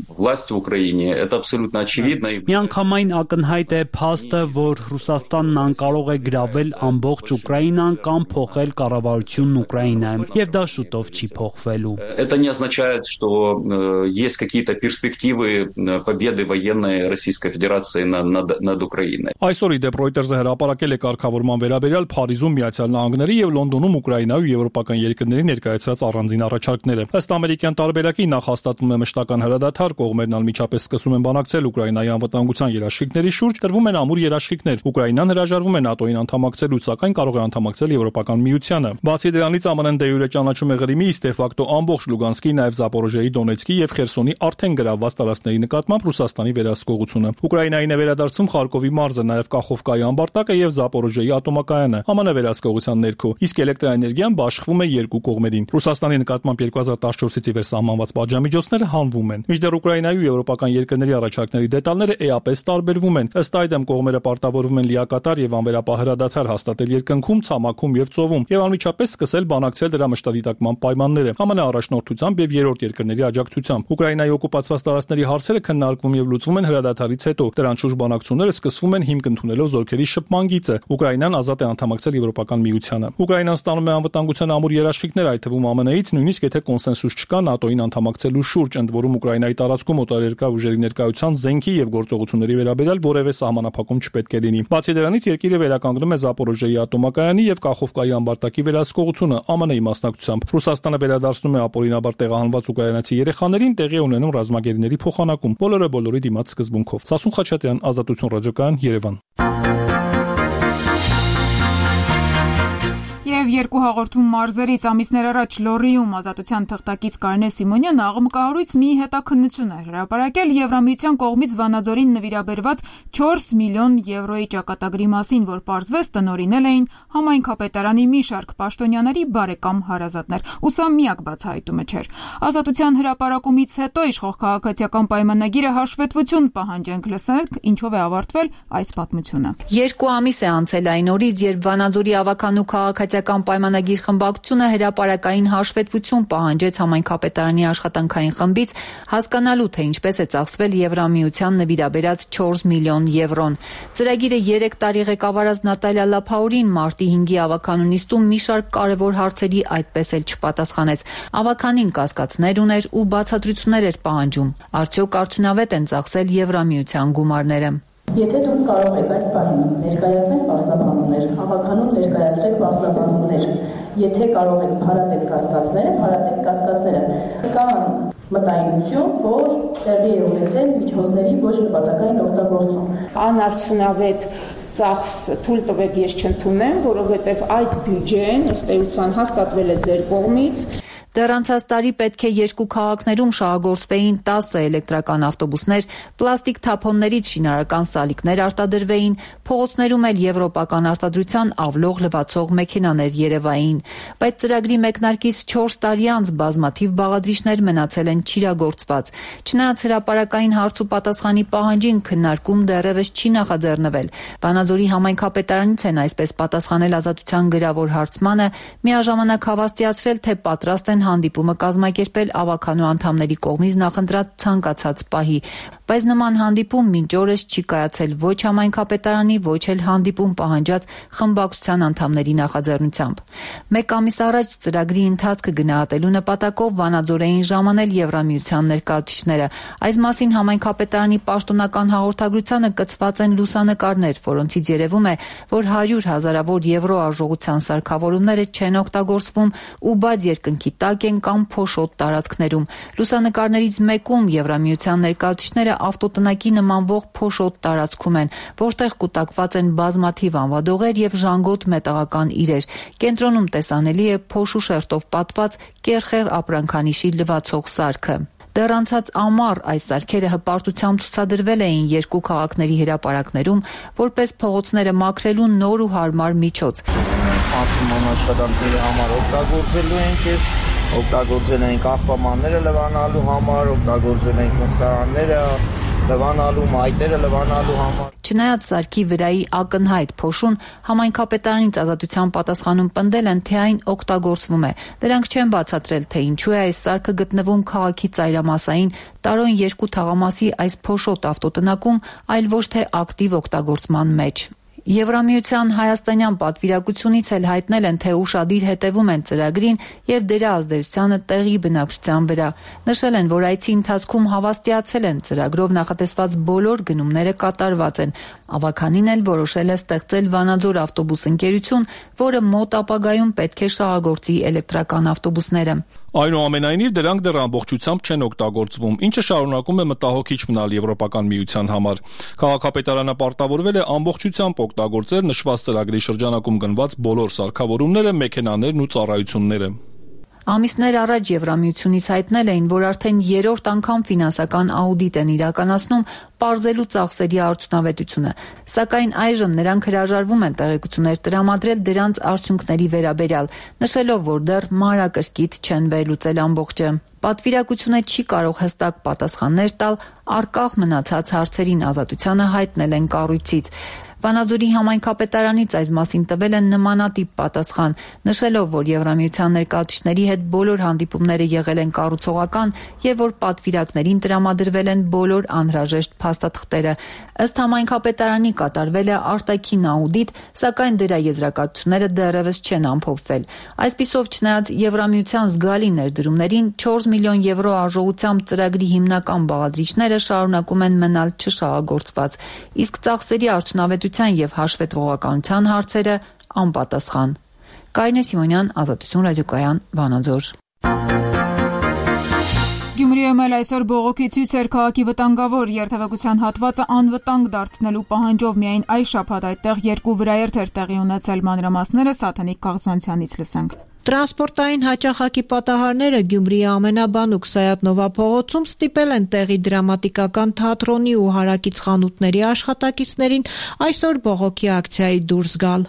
власть в Украине, это абсолютно очевидно. Միանգամայն ակնհայտ է փաստը, որ Ռուսաստանն անկարող է գրավել ամբողջ Ուկրաինան կամ փոխել կառավարությունն Ուկրաինայում, եւ դա շուտով չի փոխվելու։ Это не означает, что есть какие-то перспективы победы военной Российской Федерации над Украиной. Այսօր իդեպ Reuters-ը հրապարակել է կարգավորման վերաբերյալ Փարիզում Միացյալ Նահանգների եւ Լոնդոնում Ուկրաինայի ու եվրոպական երկրների ներկայացրած առանձին առաջարկները։ Ըստ ամերիկյան տարբերակի նախ հաստատվում է մշտական հրադադար, կողմերն անմիջապես սկսում են բանակցել Ուկրաինայի անվտանգության երաշխիքների շուրջ, տրվում են ամուր երաշխիքներ։ Ուկրաինան հրաժարվում է ՆԱՏՕ-ին անդամակցելու, սակայն կարող է անդամակցել Եվրոպական միությանը։ Բացի դրանից ԱՄՆ-ն դե յուրե ճանաչում է Ղրիմի, իսկ դե ֆակտո ամբողջ Լուգանսկի, նաև Զապորոժիայի, Դոնեցկի եւ Խերսոնի արդեն գրավված տարածքների նկատմամբ Ռուսաստանի վերահսկողությունը։ Ուկրաինային է վերադարձում Խարկովի մարզը, նաև Կախովկայի ամբարտակը եւ Զապորոժիայի ատոմակայանը ԱՄՆ վերահսկողության ներքո, իսկ էլեկտրաէներգիան բաշխվում է երկու կողմերին։ Ռուսաստանի նկատմամբ 2014-ից ի վեր սահմանված պատժամիջոցները հանվում են։ Մինչդեռ Ուկրաինայի ու եվրոպական երկրների առաջարկների դետալները էապես տարբերվում են։ Ըստ այդմ կողմերը պարտավորվում են լիակատար եւ անվերապահ հրադադար հաստատել երկնքում, ցամաքում եւ ծովում եւ անմիջապես սկսել բանակցել դրա մշտադիտակման պայմանները ԱՄՆ առաջնորդությամբ եւ երրորդ երկրների աջակցությամբ։ Ուկրաինայի օկուպացված տարածքների հարցերը քննարկվում եւ լուծվում են հրադադարից հետո։ Դրանց շուրջ բանակցությունները սկսվում են հիմք ընդունելով զորքերի շփման գիծը։ Ուկրաինան ազատ է անդամակցել Եվրոպական միությանը։ Ուկրաինան ստանում է անվտանգության ամուր երաշխիքներ, այդ թվում ԱՄՆ-ից, նույնիսկ եթե կոնսենսուս չկա ՆԱՏՕ-ին անդամակցելու շուրջ, ընդ որում Ուկրաինայի տարածքում օտարերկրյա ուժերի ներկայության զենքի եւ գործողությունների վերաբերյալ որևէ սահմանափակում չպետք է լինի։ Բացի դրանից երկիրը վերականգնում է Զապորոժիայի ատոմակայանի եւ Կախովկայի ամբարտակի վերահսկողությունը ԱՄՆ-ի մասնակցությամբ։ Ռուսաստանը վերադարձնում է ապօրինաբար տեղահանված ուկրաինացի երեխաներին, տեղի ունենում ռազմագերիների փոխանակում, բոլորի դիմաց սկզբունքով։ Սասուն Խաչատրյան, Ազատություն ռադիոկայան, Երևան։ Եվ երկու հաղորդում մարզերից ամիսներ առաջ Լոռիում Ազատության թղթակից Կարինե Սիմոնյանը աղմկահարույց մի հետաքննություն է հրապարակել Եվրամիության կողմից Վանաձորին նվիրաբերված 4 միլիոն եվրոյի ճակատագրի մասին, որ պարզվեց տնօրինել էին համայնքապետարանի մի շարք պաշտոնյաների բարեկամ հարազատներ, ու սա միակ բացահայտումը չէր։ Ազատության հրապարակումից հետո իշխող քաղաքացիական պայմանագիրը հաշվետվություն պահանջենք, լսենք ինչով է ավարտվել այս պատմությունը։ 2 ամիս է անցել այն օրից, երբ Վանաձորի ավականու քաղաքացիական պայմանագիր խմբակցությունը հրապարակային հաշվետվություն պահանջեց համայնքապետարանի աշխատանքային խմբից, հասկանալու թե ինչպես է ծախսվել Եվրամիության նվիրաբերած 4 միլիոն եվրոն։ Ծրագիրը 3 տարի ղեկավարած Նատալիա Լափաուրին մարտի 5-ի ավականու նիստում մի շարք կարևոր հարցերի այդպես էլ չպատասխանեց։ Ավականին կասկածներ ուներ ու բացատրություններ էր պահանջում։ Արդյոք արդյունավետ են ծախսել Եվրամիության գումարները։ Եթե դուք կարող եք այս պահին ներկայացնել պարզաբանումներ, հավականուն ներկայացրեք պարզաբանումներ, եթե կարող եք փարատել կասկածները, կան մտայնություն, որ տեղի է ունեցել միջոցների ոչ նպատակային օգտագործում։ Անարդյունավետ ծախս թույլ տվեք ես չընդունեմ, որովհետև այդ բյուջեն ըստ էության հաստատվել է ձեր կողմից։ Դեռ անցած տարի պետք է 2 քաղաքներում շահագործվեին 10 էլեկտրական ավտոբուսներ, պլաստիկ թափոններից շինարարական սալիկներ արտադրվեին, փողոցներում էլ եվրոպական արտադրության ավլող լվացող մեքենաներ երևային։ Բայց ծրագրի մեկնարկից 4 տարի անց բազմաթիվ բաղադրիչներ մնացել են չիրագործված։ Չնայած հրապարակային հարց ու պատասխանի պահանջին քննարկում դեռևս չի նախաձեռնվել։ Վանաձորի համայնքապետարանից են այսպես պատասխանել Ազատության գրավոր հարցմանը, միաժամանակ հավաստիացրել, թե պատրաստ են հանդիպումը կազմակերպել ավականու անդամների կողմից նախընտրած ցանկացած պահի, բայց նման հանդիպում մինչ օրս չի կայացել ոչ համայնքապետարանի, ոչ էլ հանդիպում պահանջած խմբակցության անդամների նախաձեռնությամբ։ 1 ամիս առաջ ծրագրի ընթացքը գնահատելու նպատակով Վանաձորեին ժամանել Եվրամիության ներկայացուցիչները։ Այս մասին համայնքապետարանի պաշտոնական հաղորդագրությանը կցված են լուսանկարներ, որոնցից երևում է, որ 100 հազարավոր եվրո արժողության սարքավորումները չեն օգտագործվում ու բաց երկնքի տակ են կամ փոշոտ տարածքներում։ Լուսանկարներից մեկում Եվրամիության ներկայացուցիչները ավտոտնակի նմանվող փոշոտ տարածքում են, որտեղ կուտակված են բազմաթիվ անվադողեր եւ ժանգոտ մետաղական իրեր։ Կենտրոնում տեսանելի է փոշու շերտով պատված կերխեր ապրանքանիշի լվացող սարքը։ Դեռ անցած ամառ այս սարքերը հպարտությամբ ցուցադրվել էին 2 քաղաքների հրապարակներում, որպես փողոցները մաքրելու նոր ու հարմար միջոց։ Աշխատանքների համար օգտագործելու ենք, օգտագործել ենք աղբամանները լվանալու համար, օգտագործել ենք նստարանները լվանալու, մայթերը լվանալու համար։ Չնայած սարքի վրայի ակնհայտ փոշուն, համայնքապետարանից Ազատության պատասխանում պնդել են, թե այն օգտագործվում է։ Դրանք չեն բացատրել, թե ինչու է այս սարքը գտնվում քաղաքի ծայրամասային տարոն 2 թաղամասի այս փոշոտ ավտոտնակում, այլ ոչ թե ակտիվ օգտագործման մեջ։ Եվրամիության հայաստանյան պատվիրակությունից էլ հայտնել են, թե ուշադիր հետևում են ծրագրին եւ դրա ազդեցությանը տեղի բնակչության վրա։ Նշել են, որ այցի ընթացքում հավաստիացել են ծրագրով նախատեսված բոլոր գնումները կատարված են։ Ավագանին էլ որոշել է ստեղծել Վանաձոր ավտոբուս ընկերություն, որը մոտ ապագայում պետք է շահագործի էլեկտրական ավտոբուսները։ Այնուամենայնիվ դրանք դեռ ամբողջությամբ չեն օգտագործվում, ինչը շարունակում է մտահոգիչ մնալ Եվրոպական միության համար։ Քաղաքապետարանը պարտավորվել է ամբողջությամբ օգտագործել նշված ծրագրի շրջանակում գնված բոլոր սարքավորումները, մեքենաներն ու ծառայությունները։ Ամիսներ առաջ Եվրամիությունից հայտնել էին, որ արդեն 3-րդ անգամ ֆինանսական աուդիտ են իրականացնում պարզելու ծախսերի արդյունավետությունը, սակայն այժմ նրանք հրաժարվում են տեղեկություններ տրամադրել դրանց արդյունքների վերաբերյալ, նշելով, որ դեռ մանրակրկիտ չեն վերլուծել ամբողջը։ Պատվիրակությունը չի կարող հստակ պատասխաններ տալ առկախ մնացած հարցերին, Ազատությանը հայտնել են կառույցից։ Վանաձորի համայնքապետարանից այս մասին տվել են նմանատիպ պատասխան, նշելով, որ Եվրամիության ներկայացուցիչների հետ բոլոր հանդիպումները եղել են կառուցողական եւ որ պատվիրակներին տրամադրվել են բոլոր անհրաժեշտ փաստաթղթերը։ Ըստ համայնքապետարանի կատարվել է արտաքին աուդիտ, սակայն դրա եզրակացությունները դեռևս չեն ամփոփվել։ Այսպիսով, չնայած Եվրամիության զգալի ներդրումներին, 4 միլիոն եվրո արժողությամբ ծրագրի հիմնական բաղադրիչները շարունակում են մնալ չշահագործված, իսկ ծախսերի արդյունավետության եւ հաշվետվողականության հարցերը անպատասխան։ Կարինե Սիմոնյան, Ազատություն ռադիոկայան, Վանաձոր։ Գյումրիում էլ այսօր բողոքի ցույց էր քաղաքի վտանգավոր երթևեկության հատվածը անվտանգ դարձնելու պահանջով միայն այս շաբաթ այդտեղ 2 վրաերթ էր տեղի ունեցել, մանրամասները Սաթանիկ Կաղզանցյանից լսենք։ Տրանսպորտային հաճախակի պատահարները Գյումրիի ամենաբանուկ Սայաթ-Նովա փողոցում ստիպել են տեղի դրամատիկական թատրոնի ու հարակից խանութների աշխատակիցներին այսօր բողոքի ակցիայի դուրս գալ։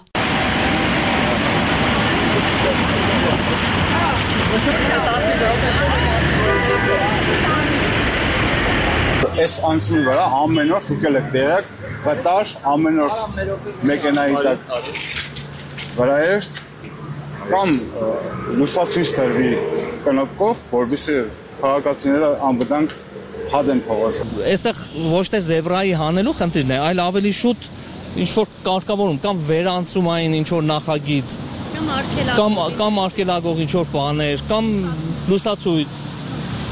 Այս անցնի վրա ամեն օր թուկել եք դերակ, վտար ամեն օր մեքենայի տակ վրաերթ կամ լուսացույց տրվի կնոպկով, որովհետեւ քաղաքացիները անվտանգ հադեն փողոց։ Այստեղ ոչ թե զեբրայի հանելու խնդիրն է, այլ ավելի շուտ ինչ որ կարգավորում կամ վերանցումային ինչ որ նախագիծ կամ արգելագող ինչ որ բաներ կամ լուսացույց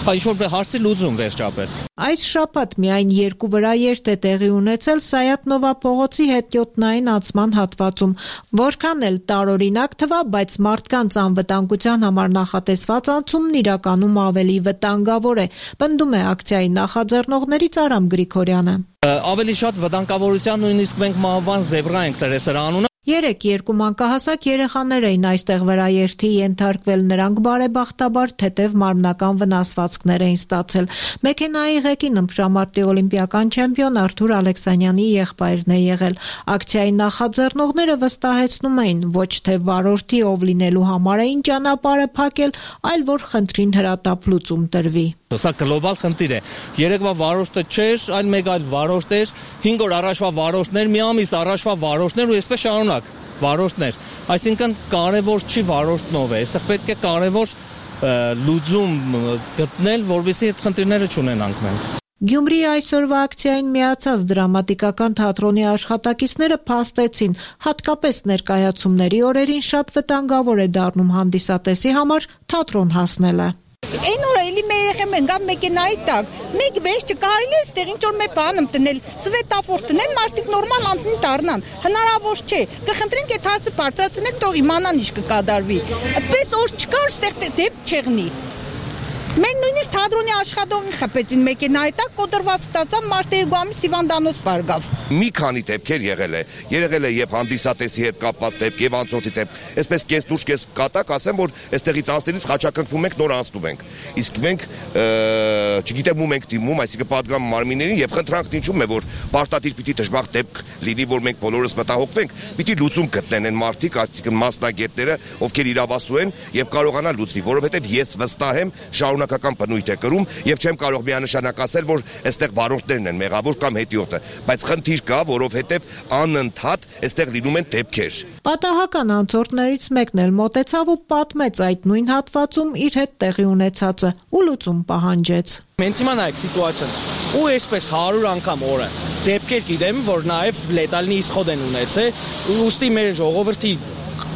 ինչ-որ հարցի լուծում վերջապես։ Այս շաբաթ միայն 2 վրաերթ է տեղի ունեցել Սայաթ-Նովա փողոցի հետիոտնային անցման հատվածում, որքան էլ տարօրինակ թվա, բայց մարդկանց անվտանգության համար նախատեսված անցումն իրականում ավելի վտանգավոր է, պնդում է ակցիայի նախաձեռնողներից Արամ Գրիգորյանը։ Ավելի շատ վտանգավորության նույնիսկ մենք մահվան զեբրա ենք տրել սրա անունը։ Երեկ 2 մանկահասակ երեխաներ էին այստեղ վրաերթի ենթարկվել, նրանք բարեբախտաբար թեթև մարմնական վնասվածքներ էին ստացել։ Մեքենայի ղեկին ըմբշամարտի օլիմպիական չեմպիոն Արթուր Ալեքսանյանի եղբայրն է եղել։ Ակցիայի նախաձեռնողները վստահեցնում էին, ոչ թե վարորդի ով լինելու համար էին ճանապարհը փակել, այլ որ խնդրին հրատապ լուծում տրվի։ Սա գլոբալ խնդիր է։ Երեկվա վարորդը չէր, այլ մեկ այլ վարորդ էր, 5 օր առաջվա վարորդներ, մի ամիս առաջվա վարորդներ ու այսպես շարունակ վարորդներ։ Այսինքն կարևոր չի վարորդնով է, այստեղ պետք է կարևոր լուծում գտնել, որովհետեւ այդ խնդիրները չունենանք մենք։ Գյումրիի այսօրվա ակցիային միացած դրամատիկական թատրոնի աշխատակիցները փաստեցին, հատկապես ներկայացումների օրերին շատ վտանգավոր է դառնում հանդիսատեսի համար թատրոն հասնելը։ Այն օրը էլի մեր երեխան գա մեքենայի տակ, մեկ վեճ չկարելի է այստեղ ինչ որ մի բան տնել, սվետաֆոր տնեն, մարդիկ նորմալ անցնի դառնան, հնարավոր չէ։ Կխնդրենք այդ հարցը բարձրացնեք, թող իմանան ինչ կկատարվի։ Այդպես օր չկար, այստեղ դեպք չեղնի։ Մենք նույնիսկ թատրոնի աշխատողին խփեցին մեքենայի տակ, կոտրված ստացավ, մարդը 2 ամիս հիվանդանոց բարգավ։ Մի քանի դեպքեր եղել է եւ հանդիսատեսի հետ կապված դեպք եւ անցորդի դեպք։ Այսպես կես դուրս կես կատակ ասեմ, որ այստեղից անցնելիս խաչակնքվում ենք, նոր անցնում ենք։ Իսկ մենք չգիտեմ ում ենք դիմում, այսինքն պատգամ մարմիններին եւ խնդրանքն ինչու՞մ է, որ պարտադիր պիտի դժբախտ դեպք լինի, որ մենք բոլորս մտահոգվենք, պիտի լուծում գտնեն այն մարդիկ, այսինքն մասնագետները, ովքեր իրավասու են եւ կարողանա լուծվի, որովհետեւ ես վստահ եմ շարունակական բնույթ է կրում եւ չեմ կարող միանշանակ ասել, որ այստեղ վարորդներն են մեղավոր կամ հետիոտը, բայց խնդիր կա, որովհետեւ անընդհատ այստեղ լինում են դեպքեր։ Պատահական անցորդներից մեկն էլ մոտեցավ ու պատմեց այդ նույն հատվածում իր հետ տեղի ունեցածը ու լուծում պահանջեց։ Մենք հիմա նայեք սիտուացիան, ու այսպես 100 անգամ օրը դեպքեր գիտեմ, որ նաև լետալնի իսխոդ են ունեցել, ուստի մեր ժողովրդի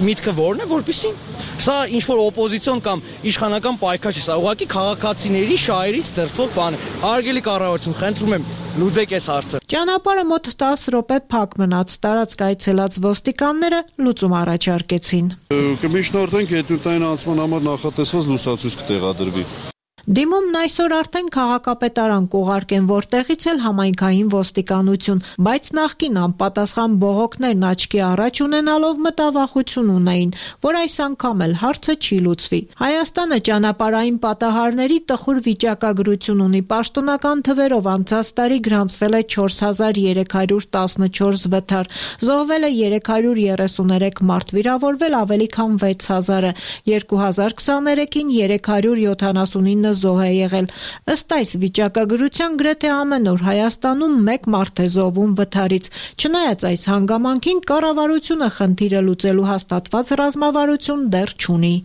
միտքը որն է, որպեսզի սա ինչ որ օպոզիցիոն կամ իշխանական պայքար չի, սա ուղղակի քաղաքացիների շահերից ձերծվող բան է։ Հարգելի կառավարություն, խնդրում եմ լուծեք այս հարցը։ Ճանապարհը մոտ 10 րոպե փակ մնաց, տարածք այցելած ոստիկանները լուծում առաջարկեցին։ Կմիշնորդենք հետուտային անցման համար նախատեսված լուսացույց կտեղադրվի։ Դիմումն այսօր արդեն քաղաքապետարան կուղարկեն, որտեղից էլ համայնքային ոստիկանություն, բայց նախկին անպատասխան բողոքներն աչքի առաջ ունենալով մտավախություն ունեին, որ այս անգամ էլ հարցը չի լուծվի։ Հայաստանը ճանապարհային պատահարների տխուր վիճակագրություն ունի, պաշտոնական թվերով անցած տարի գրանցվել է 4314 վթար, զոհվել է 333 մարդ, վիրավորվել ավելի քան 6000-ը, 2023-ին 379 զոհ է եղել։ Ըստ այս վիճակագրության գրեթե ամեն օր Հայաստանում մեկ մարդ է զոհվում վթարից։ Չնայած այս հանգամանքին կառավարությունը խնդիրը լուծելու հաստատված ռազմավարություն դեռ չունի։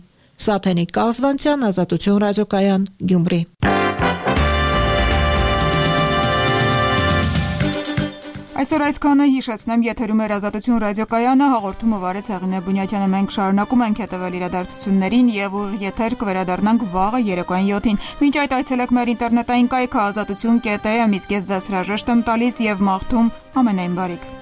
Սաթենիկ Կազվանցյան, Ազատություն ռադիոկայան, Գյումրի։ Այսօր այսքանը, հիշեցնեմ, եթերում էր Ազատություն ռադիոկայանը, հաղորդումը վարեց Հեղինե Բունյակյանը։ Մենք շարունակում ենք հետևել իրադարձություններին եւ ուղիղ եթեր կվերադառնանք վաղը երեկոյան 7-ին։ Մինչ այդ այցելեք մեր ինտերնետային կայքը azatutun.am, իսկ ես ձեզ հրաժեշտ եմ տալիս եւ մաղթում ամենայն բարիք։